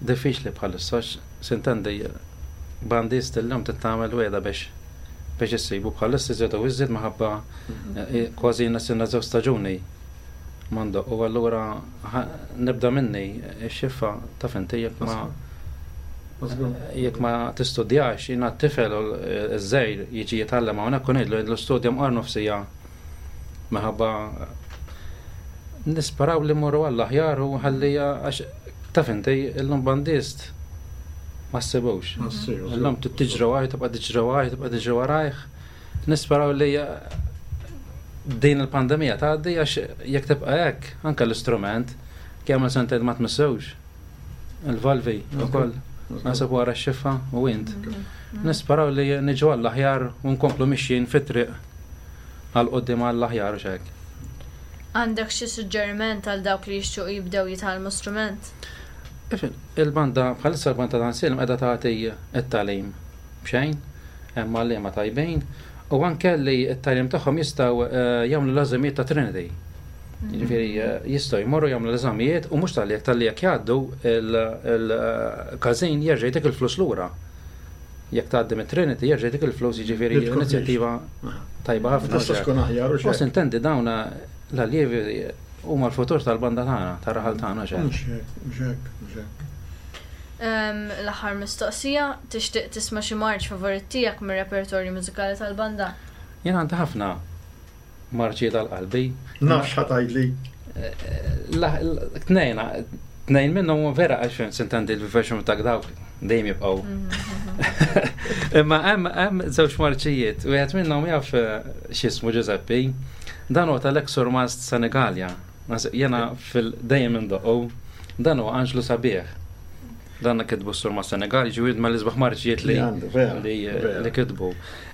diffiċli bħalissa, għax sintendi bandist illum trid tagħmel weda biex biex issibu bħalissa iżjed u iżjed minħabba eh, kważi nasilna żewġ staġuni m'għandu u allura ħa- nibda minni x-xiffa taf inti jekk ma jekk ma tistudjax jiena t-tifel u ż-żgħir jiġi jitgħallem hawnhekk u ngħidlu ngħidlu studja mqar nofsija minħabba nisperaw li mmorru għall-aħjar u ħalli għax taf inti illum bandist ma ssibux. Illum tiġri warajh, tibqa' tiġri warajh, tibqa' tiġri warajh. Nisperaw li din il-pandemija tgħaddi għax jekk tibqa' hekk anke l-istrument kemm sentejn ma tmissewx. Il-valvi ukoll naħseb wara x-xiffa u int. Nisperaw li niġu għall-aħjar u nkomplu mixjin fit-triq għal quddiem għall-aħjar u xek. Għandek xi suġġeriment għal dawk li jixtiequ jibdew jitgħallmu strument? Il-banda, bħalissa l-banda ta' Għajnsielem qiegħda tagħti t-tagħlim b'xejn, hemm għalliema tajbin, u anke li t-tagħlim tagħhom jistgħu eh, jagħmlu l-eżamijiet ta' Trinity. Jiġifieri eh, jistgħu jmorru jagħmlu l-eżamijiet u mhux talli jekk talli jekk jgħaddu il-każin jerġa' jtik il-flus lura. Jekk tgħaddi mit-Trinity jerġa' jtik il-flus jiġifieri Li tkun inizjattiva tajba ħafna. Tista' tkun aħjar u U xejn. sintendi dawn l-allievi huma l-futur tal-banda tagħna, tar-raħal tagħna xejn. Mhux hekk, mhux hekk, mhux hekk. Ehm, L-aħħar mistoqsija, tixtieq tisma' xi marċ favorit tiegħek mir-repertorju mużikali tal-banda? Jien għandi ħafna marċi tal-qalbi. Naf x'ħa tgħidli. La- la- Tnejn, tnejn minnhom vera għax sintendi l-version ta' dawk dejjem jibqgħu. Imma hemm hemm żewġ marċijiet, wieħed minnhom jaf eh, x'ismu Giuseppe, dan huwa tal-ex Surmast Senegalja. Naħseb Jiena fil-dejjem indoqqu, dan huwa Anġlu Sabiħ. Dan kitbu s-Surmast Senegal, ġifieri ma l-isbaħ marċijiet li Li għandu, vera, li vera. li kitbu.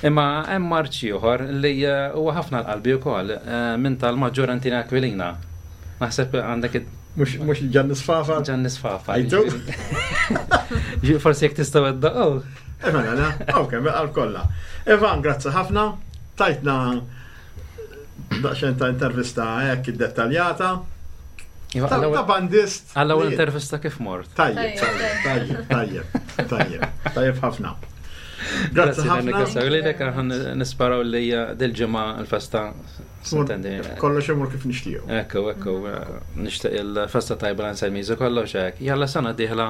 Imma hemm marċi ieħor li eh, huwa ħafna l-qalbi wkoll eh, minn tal-Maġġor Antina Aquilina. Naħseb għandek id- Mhux mhux il-Ġanni Sfafa. Ġanni Sfafa. Għajtu? Ġi- Forsi jekk tistgħu iddoqqu. Eh, mela, na, ok, mela kollha. Evan, grazzi ħafna. Tajtna daqsxejn ta' intervista hekk iddettaljata. Iva, Ta' ta' bandist. Għall-ewwel li- intervista kif mort. Tajjeb, tajjeb, tajjeb, tajjeb, tajjeb, tajjeb ħafna. Grazzi ħafna. Lilek aħna nisperaw li eh, dil-ġimgħa l-festa sintendi. Kollox imur kif nixtiequ. Ekku, ekku, eh, nixtieq il-festa tajba l-Anselmiżu kollox hekk. Jalla sena dieħla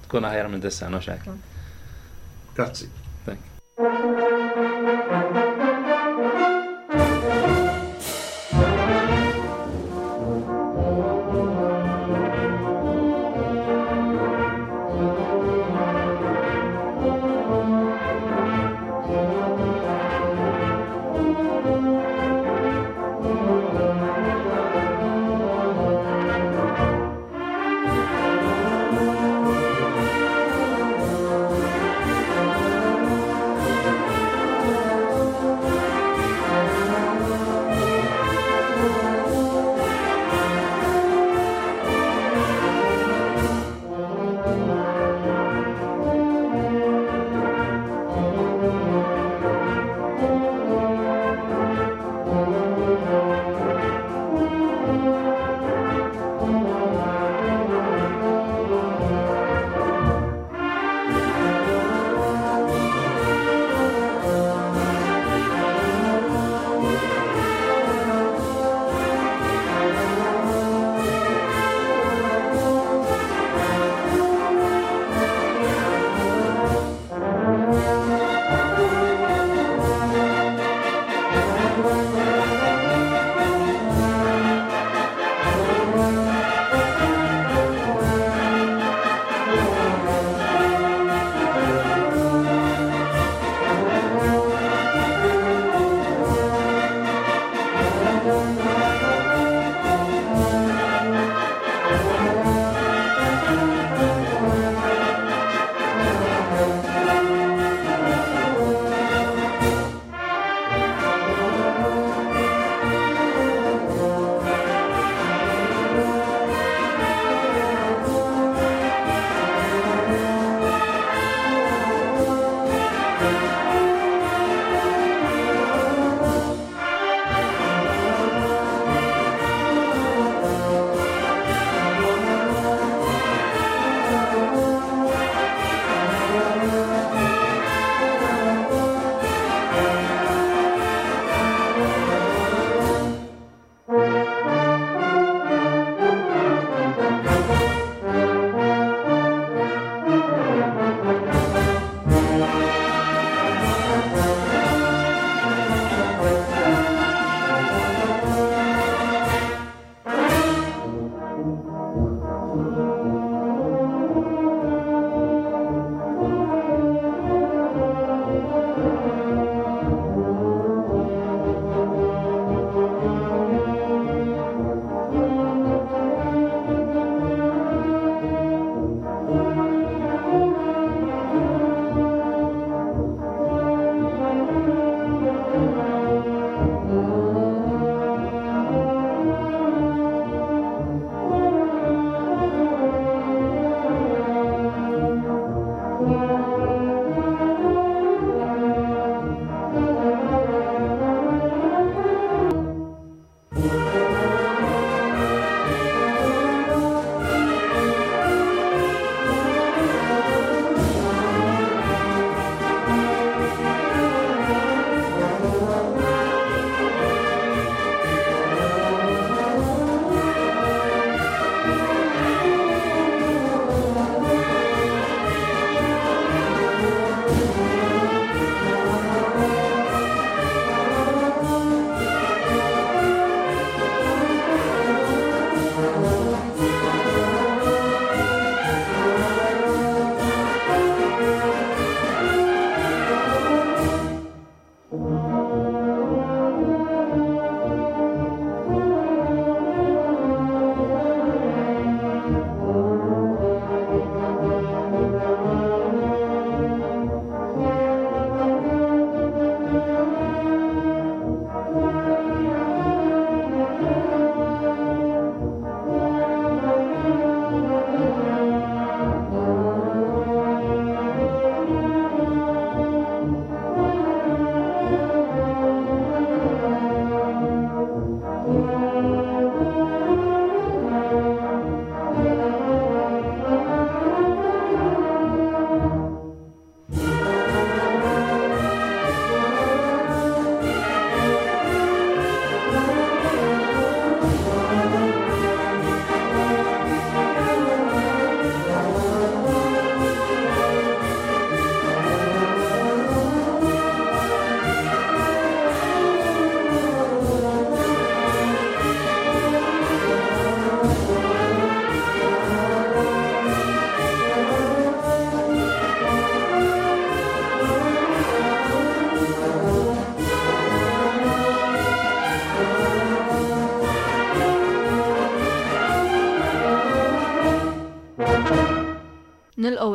tkun aħjar minn dis-sena x'hekk. Grazzi. Thank. Thank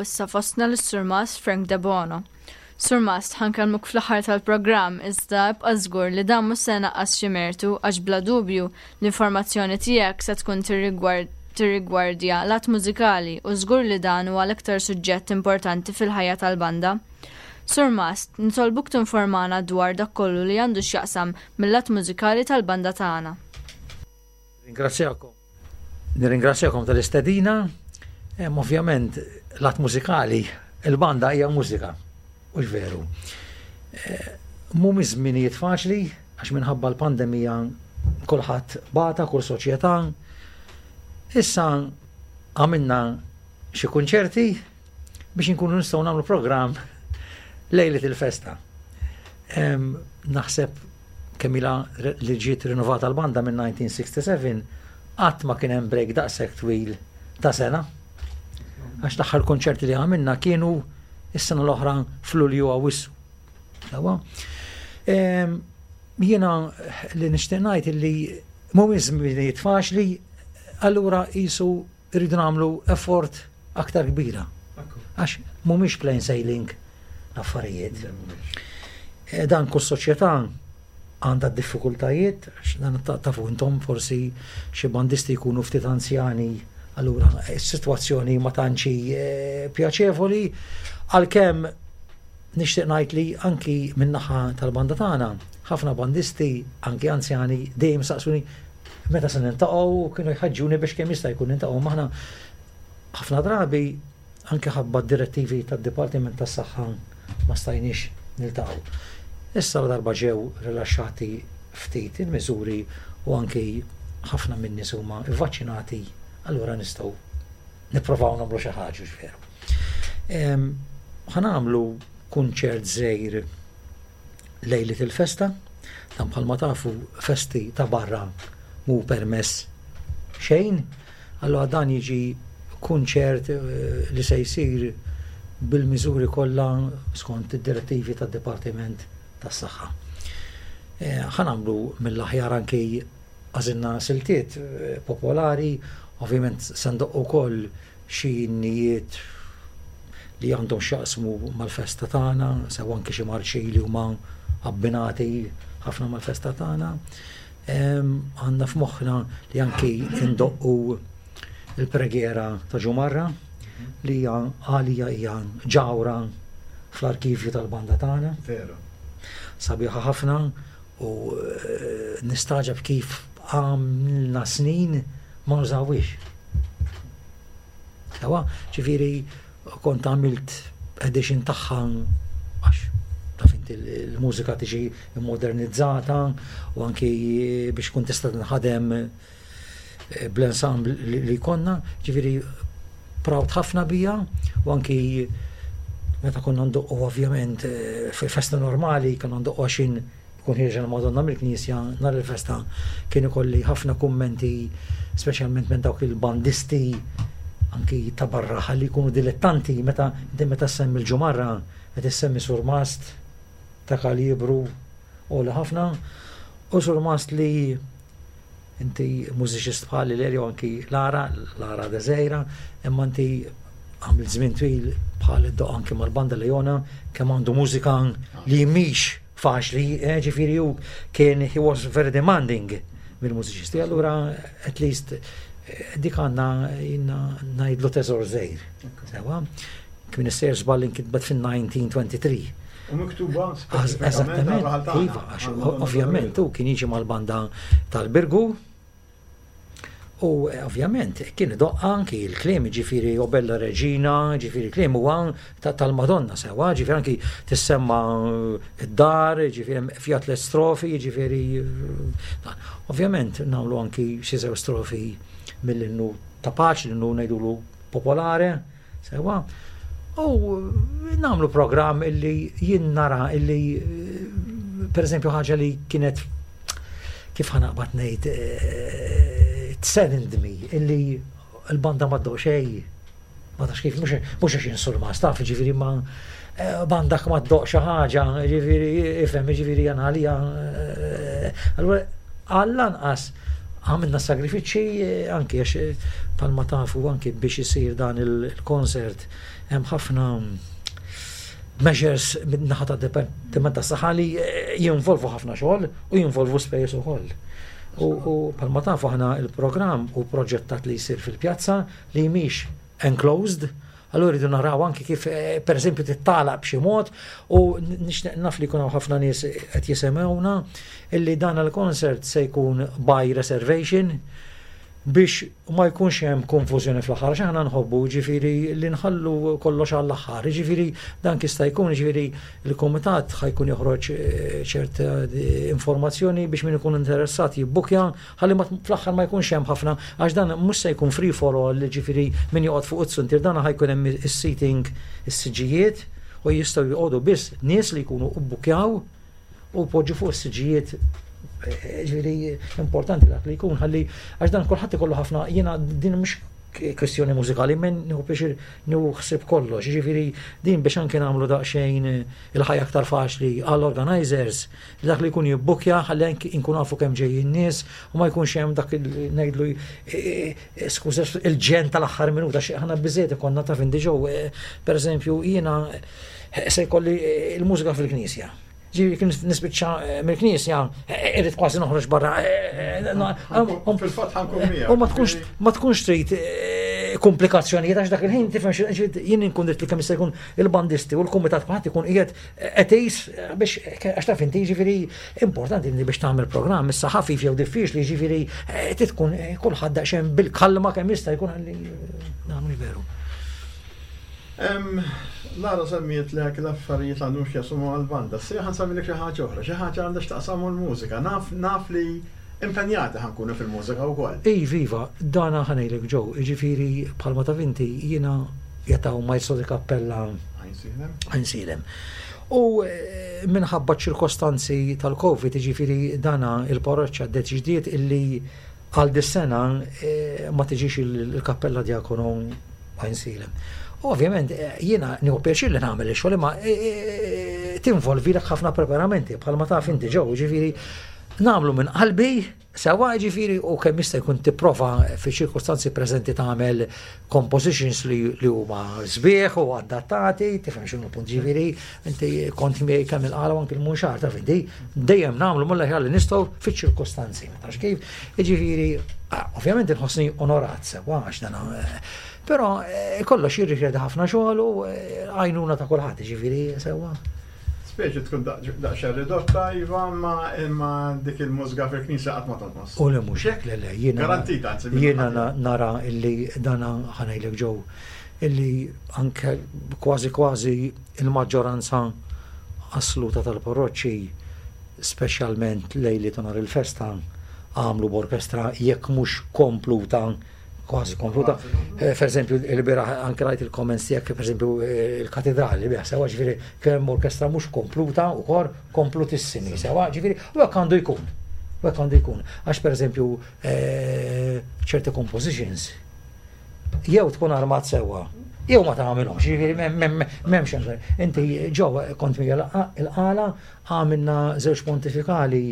Nilqgħu issa fostna lis-Surmast Frank Debono. Surmast, ħa nkellmuk fl-aħħar tal-programm, iżda ibqa' żgur li dan mhux se naqqas xi mertu, għax bla dubju l-informazzjoni tiegħek se tkun tirrigwardja lat mużikali u żgur li dan huwa l-iktar suġġett importanti fil-ħajja tal-banda. Surmast, nitolbuk tinformana dwar dak kollu li għandu x'jaqsam mill-lat mużikali tal-banda tagħna. Ringrazzjakom. Nirringrazzjakom tal-istedina. Ovvjament, lat mużikali, il-banda hija mużika. Hux veru? Eh, mhumiex żminijiet faċli, għax minħabba l-pandemija kulħadd bata, kull soċjetà. Issa għamilna xi kunċerti biex inkunu nistgħu nagħmlu programm lejlet il-festa. Naħseb kemm ilha li ġiet rinnovata l-banda minn elf disa' mija u sitta u sebgħin, qatt ma kien hemm break daqshekk twil ta' sena. Għax l-aħħar konċerti li għamilna kienu is-sena l-oħra f'Lulju, Awwissu. Jiena li nixtieq ngħid illi mhumiex żminijiet faċli, allura qisu rridu nagħmlu effort aktar kbira. Għax mhumiex plain sailing l-affarijiet. E, dan kull soċjetà għandha diffikultajiet, għax dan tafu intom, forsi xi bandisti jkunu ftit anzjani, allura s-sitwazzjoni ma tantx e, pjaċevoli, għalkemm nixtieq ngħid li anki min-naħa tal-banda tagħna, ħafna bandisti, anki anzjani, dejjem saqsuni meta se niltaqgħu, kienu jħaġġuni biex kemm jista' jkun niltaqgħu maħna. Ħafna drabi, anke ħabba direttivi tad-Dipartiment tas-Saħħa, ma stajniex niltaqgħu. Issa la darba ġew rilaxxati ftit il-miżuri u anki ħafna minn nies huma vvaċċinati, allura nistgħu nipprovaw nagħmlu xi ħaġa, veru. Ħa nagħmlu kunċert żgħir lejlet il-festa, dan bħalma tafu festi ta' barra mhu permess xejn, allura dan jiġi kunċert eh, li se jsir bil-miżuri kollha skont id-direttivi tad-Dipartiment tas-Saħħa. Eh, ħa nagħmlu mill-aħjar, anki għażilna siltiet eh, popolari, ovvjament se ndoqqu wkoll xi innijiet li għandhom x'jaqsmu mal-festa tagħna, sew anki xi marċi li huma abbinati ħafna mal-festa tagħna. Għandna f'moħħna li anki indoqqu il-preghiera ta' Ġumarra, li hija għalija hija ġawhra fl-arkivju tal-banda tagħna. Veru. Sabiħa ħafna u eh, nistaġab kif għamilna snin ma nużawix. Sewa, ġifieri kont għamilt edition tagħha, għax taf inti l-mużika tiġi modernizzata u anki biex kun tista' tinħadem eh, bl-ensemble li konna, ġifieri proud ħafna bija. U anki meta konna ndoqqu, ovvjament eh, fil-festa normali konna ndoqqu għaxin kun ħierġa l-Madonna mill-Knisja nhar il-festa, kien ikolli ħafna kummenti, speċjalment minn dawk il-bandisti anki ta' barra ħalli jkunu dilettanti, meta inti meta semmi l-Ġumarra qed issemmi surmast ta' kalibru għoli ħafna u surmast li inti mużiċist bħali l anki Lara, Lara Deżejra, imma inti għamil żmien twil bħal iddoqq anki mal-banda Leona, kemm għandu mużika li mhix faċli, eh, ġifieri hu kien, he was very demanding mill-mużiċisti, allura at least eh, dik għandna jiena ngħidlu teżor żgħir. Sewa, kien issejjer żball, inkitbet fin-elf disa' mija u tlieta u għoxrin. U miktuba Eżattament, iva, għax ovvjament u kien jiġi mal-banda tal-Birgu u eh, ovvjament kien idoqq anki il-kliem, ġifieri "O bella Reġina", ġifieri kliem huwa tal-Madonna sewa, ġifieri anki tissemma id-dar, ġifieri fiha tliet strofi, ġifieri eh, ovvjament nagħmlu anki xi żewġ strofi mill-innu ta' paċi, l-innu ngħidulu popolare, sewa. U nagħmlu programm illi jien nara illi eh, per eżempju, ħaġa li kienet, kif ħa naqbad ngħid, it saddened me illi l-banda ma ddoqq xejn. Ma tafx kif, mhux għax insurmast, taf, ġifieri ma eh, banda ma ddoqq xi ħaġa, ġifieri ifhem, ġifieri jien għalija. Eh, allura għall-anqas Għamilna sagrifiċċji anki għax bħalma tafu anki biex isir dan il-concert hemm ħafna measures min-naħa ta' Dipartiment ta' Saħħa li jinvolvu ħafna xogħol u jinvolvu spejjeż ukoll. U bħalma tafu aħna il-programm u proġettat li jsir fil-pjazza li mhix enclosed, allura rridu naraw anki kif per eżempju tittalaq b'xi mod u nixtieq naf li jkun hawn ħafna nies qed jisimgħuna illi dan il-concert se jkun by reservation biex ma jkunx hemm konfużjoni fl-aħħar, għax aħna nħobbu ġifieri li nħallu kollox għall-aħħar, ġifieri dan jista' jkun ġifieri il-kumitat ħa jkun joħroġ ċerta informazzjoni biex min ikun interessat jibbukja ħalli fl-aħħar ma jkunx hemm ħafna għax dan mhux se jkun free for all, ġifieri min joqgħod fuq it-suntier, dan ħa jkun hemm is-seating, is-siġijiet u jistgħu joqogħdu biss nies li jkunu bbukjaw u poġġu fuq is-siġijiet. Ġifieri importanti dak li jkun ħalli għax dan kulħadd ikollu ħafna. Jiena din mhux kwestjoni mużikali, men nieħu pjaċir nieħu ħsieb kollox, ġifieri din biex anke nagħmlu daqsxejn il-ħajja aktar faċli għall-organizers, dak li jkun jibbukja ħalli anke inkun nafu kemm ġejjin nies u ma jkunx hemm dak ngħidlu, skuża, il-ġenn tal-aħħar minuta xi aħna biżejjed ikollna taf inti ġew. Pereżempju jiena se jkolli il-mużika fil-knisja. Ġifieri kien nispiċċa mill-knisja, irrid kważi noħroġ barra. Fil-fatt ħa nkun miegħek. U ma tkunx ma tkunx trid komplikazzjonijiet għax dak il-ħin tifhem jien inkun li kemm jista' jkun il-bandisti u l-kumitat kulħadd ikun qiegħed qed biex għax taf inti ġifieri importanti li biex tagħmel programm issa ħafif jew diffiċli, ġifieri tkun kulħadd daqsxejn bil-kalma kemm jista' jkun ħalli nagħmlu veru. Lara semmiet lek l-affarijiet għandhom x'jaqsmu għall-banda. Se ħa nsemmilek xi ħaġa oħra, xi ħaġa għandha x'taqsam l-mużika. Naf naf li impenjati ħa nkunu fil-mużika wkoll. Ej, viva, dana ħa ngħidlek ġew, ġifieri bħalma taf inti jiena jataw maestro di cappella Għajnsielem. U minħabba ċirkostanzi tal-Covid, ġifieri dana il-parroċċa ddeċidiet illi għal dis-sena ma tiġix il-kappella Diakono Għajnsielem. Ovvjament, jiena nieħu pjaċir li nagħmel ix-xogħol imma tinvolvi lek ħafna preparamenti bħalma taf inti ġew, ġifieri nagħmlu minn qalbi sewa, ġifieri u kemm jista' jkun tipprova fi ċirkostanzi preżenti tagħmel compositions li, li huma sbieħ u adattati, tifhem x'inhu punt, ġifieri inti kont miegħi kemm il-Qala u anke l-Munxar, taf inti dejjem nagħmlu mill-aħjar li nistgħu fiċ-ċirkostanzi, ma tafx kif, ġifieri ovvjament inħossni onorat sewa għax dan. Però kollox jirrikjedi ħafna xogħol u għajnuna ta' kulħadd, ġifieri sewwa. Speċi tkun daqsxejn ridotta, iva, ma imma dik il-mużika fil-knisja qatt ma tonqos. U le mhux hekk, le le, jiena Garantita, anzi. Jiena nara illi dana ħa ngħidlek ġew illi anke kważi kważi il-maġġoranza assoluta tal-parroċċi, speċjalment lejli ta' nhar il-festa, għamlu b'orkestra jekk mhux kompluta, kważi kompluta. Per eżempju, il-bieraħ anke rajt il-comments tiegħek, per eżempju, il-katedrali biha sewa, ġifieri kemm orkestra mhux kompluta u kor komplutissimi sewa, ġifieri u hekk għandu jkun. U hekk għandu jkun. Għax per eżempju ċerti compositions jew tkun armat sewwa jew ma tagħmilhomx, ġifieri m'hemmx hemm. Inti ġew kont miegħi il-Qala, għamilna żewġ pontifikali.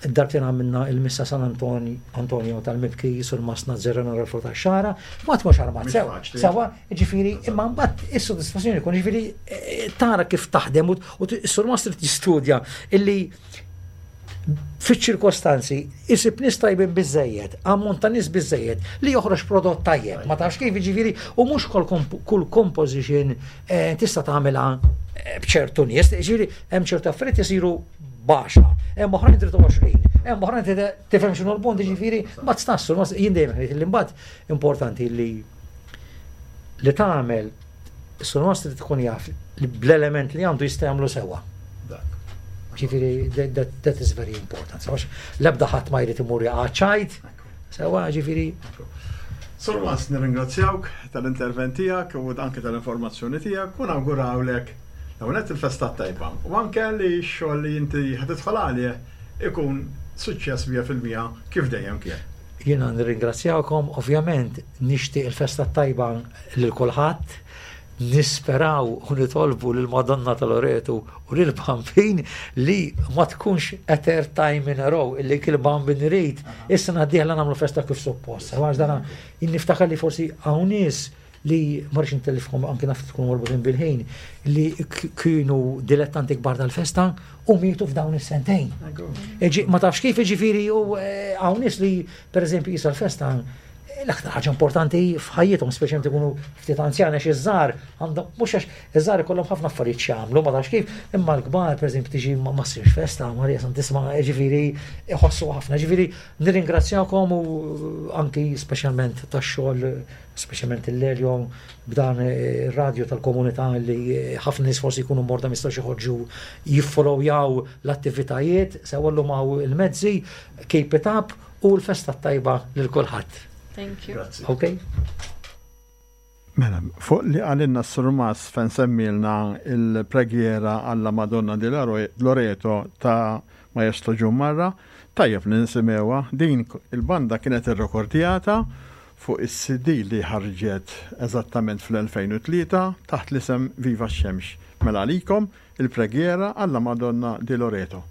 Darbtejn għamilna il-Missa San Antonio tal-Mibki Surmast Nazzareno Ralfo tax-Xagħra, ma tkunx armat sewa, sewa, ġifieri, imma mbagħad is-sodisfazzjoni jkun ġifieri tara kif taħdem u s-surmast trid jistudja illi fiċ-ċirkostanzi isib nies tajbin biżejjed, ammont ta' nies biżejjed li joħroġ prodott tajjeb, ma tafx kif, ġifieri, u mhux kull composition tista' tagħmilha b'ċertu nies, ġifieri hemm ċertu affarijiet isiru baxxa, hemm oħrajn trid għoxrin, hemm oħrajn tifhem x'inhu l-punt, ġifieri mbagħad stassu, jien dejjem ngħid li mbagħad importanti li li tagħmel is-surmast trid tkun jaf li bl-element li għandu jista' jagħmlu sewwa. Ġifieri that, that is very important. Għax l-ebda ħadd ma jrid imur jaqa' ċajt, sewwa ġifieri. Surmast, nirringrazzjawk tal-intervent tiegħek u anke tal-informazzjoni tiegħek u nawgurawlek l-ewwel il-festa tajba u anke li x-xogħol li inti ħa tidħol għalih ikun suċċess mija fil-mija kif dejjem kien. Jiena nirringrazzjawkom, ovvjament nixtieq il-festa tajba lil kulħadd. Nisperaw u nitolbu lil Madonna ta' Loreto u lil Bambin li ma tkunx a third time in a row illi kil Bambin irid. Issa d-dieħla nagħmlu festa kif suppost. Għax dana niftakar li forsi hawn nies li ma rridx intellifkom, anki naf tkunu marbutin bil-ħin, li kienu dilettanti kbar tal-festa u mietu f'dawn is-sentejn. Ma tafx kif, ġifieri, u eh, hawn nies li pereżempju jisa l-festa l-aktar ħaġa importanti f'ħajjithom, speċjalment ikunu ftit anzjani, għax iż-żgħar għandhom, mhux għax iż-żgħar ikollhom ħafna affarijiet x'jagħmlu, ma tafx kif, imma l-kbar pereżempju tiġi ma ssirx festa, Marija Santissima, ġifieri iħossu ħafna. Ġifieri nirringrazzjakom u anki speċjalment tax-xogħol, speċjalment il-Lelio b'dan ir-radju tal-komunità li ħafna nies forsi jkunu morda, ma jistgħux joħorġu jiffollowjaw l-attivitajiet, sew llum hawn il-mezzi, keep it up u l-festa tajba lil kulħadd. Thank you. Grazzi. Ok? Mela, fuq li qalilna s-Surmas fejn semmilna il-preghiera alla Madonna di Loreto ta' Maestro Ġummarra, tajjeb li nisimgħuha. Din il-banda kienet irrekordjata fuq is-C D li ħarġet eżattament fl-elfejn u tlieta taħt l-isem Viva x-Xemx. Mela għalikom il-preghiera alla Madonna di Loreto.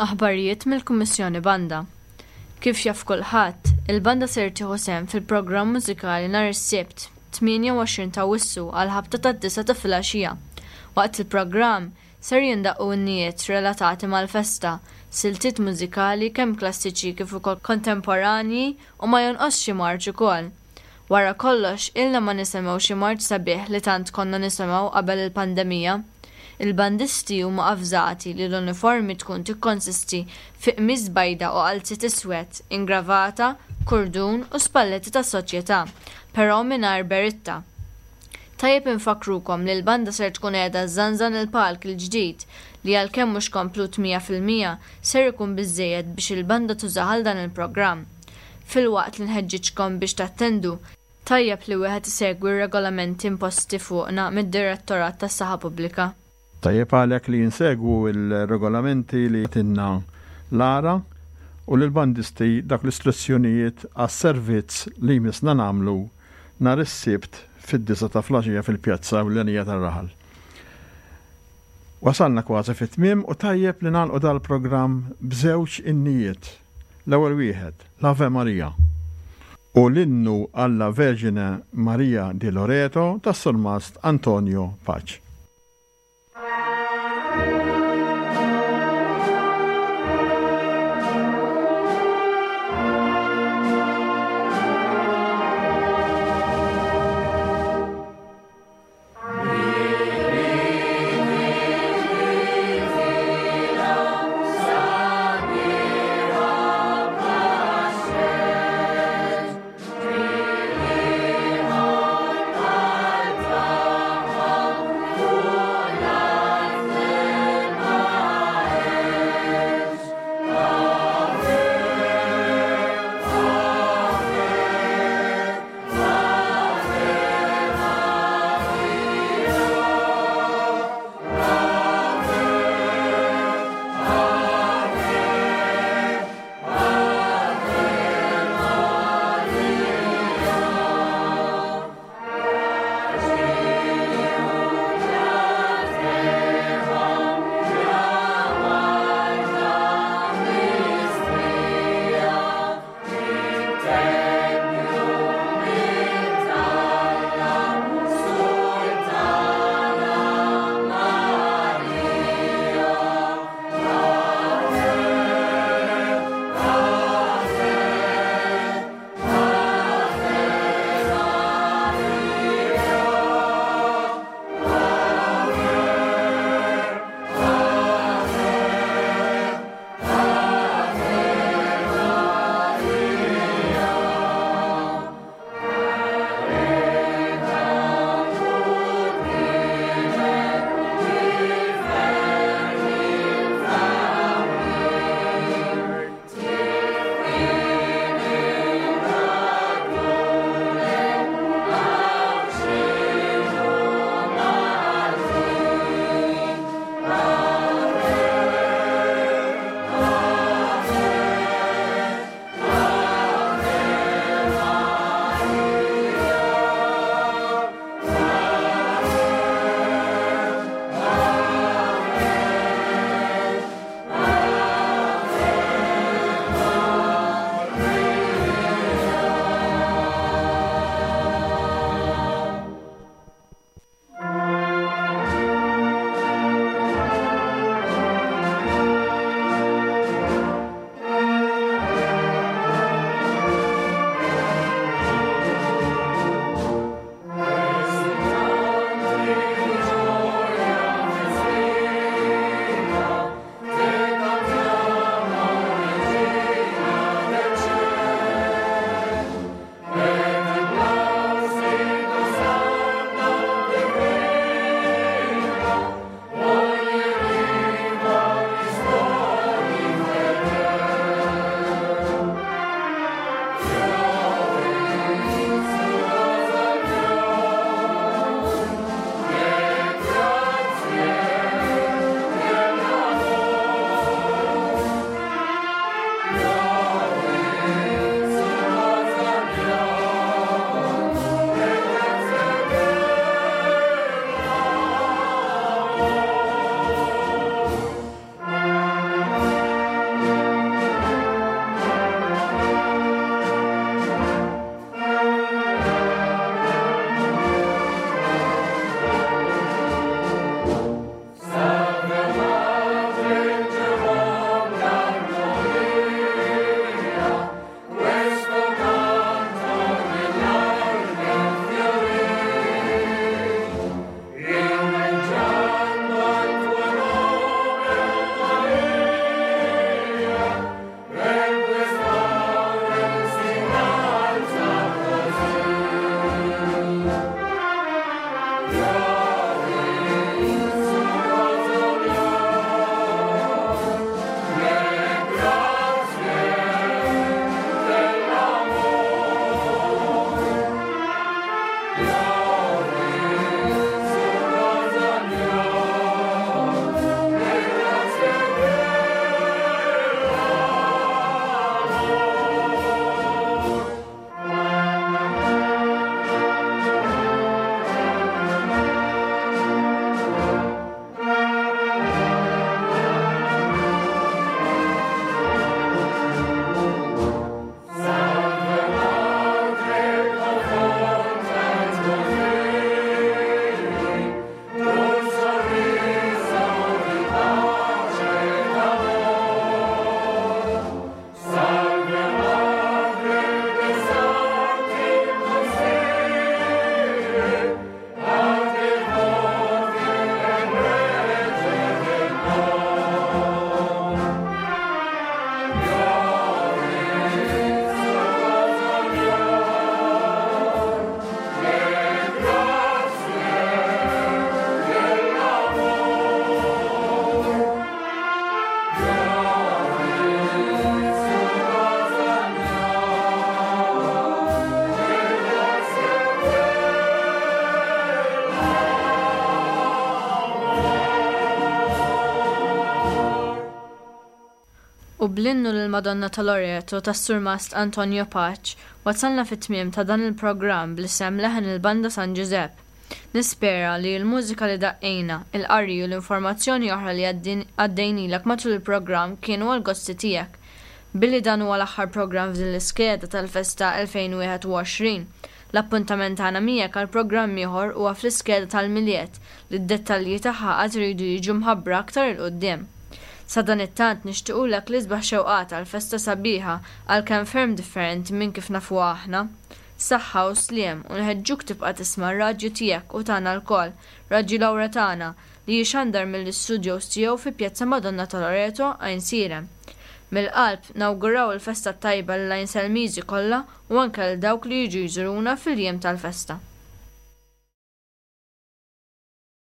Aħbarijiet mill-Kummissjoni Banda. Kif jaf kulħadd, il-banda ser tieħu sehem fil-programm mużikali nhar is-Sibt tmienja u għoxrin ta' Awwissu għal ħabta tad-disgħa ta' filgħaxija. Waqt il-programm Ser jindaqqu innijiet relatati mal-festa, siltiet mużikali kemm klassiċi kif ukoll kontemporanji u ma jonqosx xi marċ ukoll. Wara kollox, ilna ma nisimgħu xi marċ sabiħ li tant konna nisimgħu qabel il-pandemija. Il-bandisti huma avżati li l-uniformi tkun tikkonsisti fi qmis bajda u qalziet iswed, ingravata, kurdun u spalletti tas-soċjetà, però mingħajr beritta. Tajjeb infakkrukom li l-banda ser tkun qiegħda żżanżan il-palk il-ġdid li għalkemm mhux komplut mija fil-mija ser ikun biżżejjed biex il-banda tużah għal dan il-programm. Filwaqt li nħeġġiġkom biex tattendu, tajjeb li wieħed isegwi r-regolamenti imposti fuqna mid-Direttorat tas-Saħħa Pubblika. Tajjeb għalhekk li insegwu l-regolamenti li tinna Lara u lill-bandisti dak l-istruzzjonijiet għas-servizz li jmissna nagħmlu nhar is-Sibt fid-disgħa ta' filgħaxija fil-pjazza ewlenija tar-raħal. Wasalna kważi fit-tmiem u tajjeb li nagħlqu dal-programm b'żewġ innijiet. L-ewwel wieħed, l-Ave Maria, u l-innu alla Vergine Maria di Loreto tas-Surmast Antonio Pace. Thank you. Bl-innu lill-Madonna ta' Loreto tas-Surmast Antonio Pace, wasalna fit-tmiem ta' dan il-programm bl-isem Leħen il-Banda San Ġużepp. Nispera li l-mużika li daqqejna, il-qari u l-informazzjoni oħra li għaddejnilek matul il-programm kienu għall-gosti tiegħek. Billi dan huwa l-aħħar programm f'din l-iskeda tal-festa elfejn u wieħed u għoxrin, l-appuntament tagħna miegħek għal programm ieħor huwa fl-iskeda tal-Milied li d-dettalji tagħha għad iridu jiġu mħabbra aktar 'il quddiem. Sadanittant nixtiequlek l-isbaħ xewqat għal festa sabiħa għalkemm ferm differenti minn kif nafuha aħna. Saħħa u sliem u nħeġġuk tibqa' tisma' r-radju tiegħek u tagħna lkoll, Radju Lawretana, li jixandar mill-istudios tiegħu fi Pjazza Madonna ta' Loreto, Għajnsielem. Mill-qalb nawguraw il-festa t-tajba lill-Għajnselmiżi kollha u anke lil dawk li jiġu jżuruna fil-jiem tal-festa.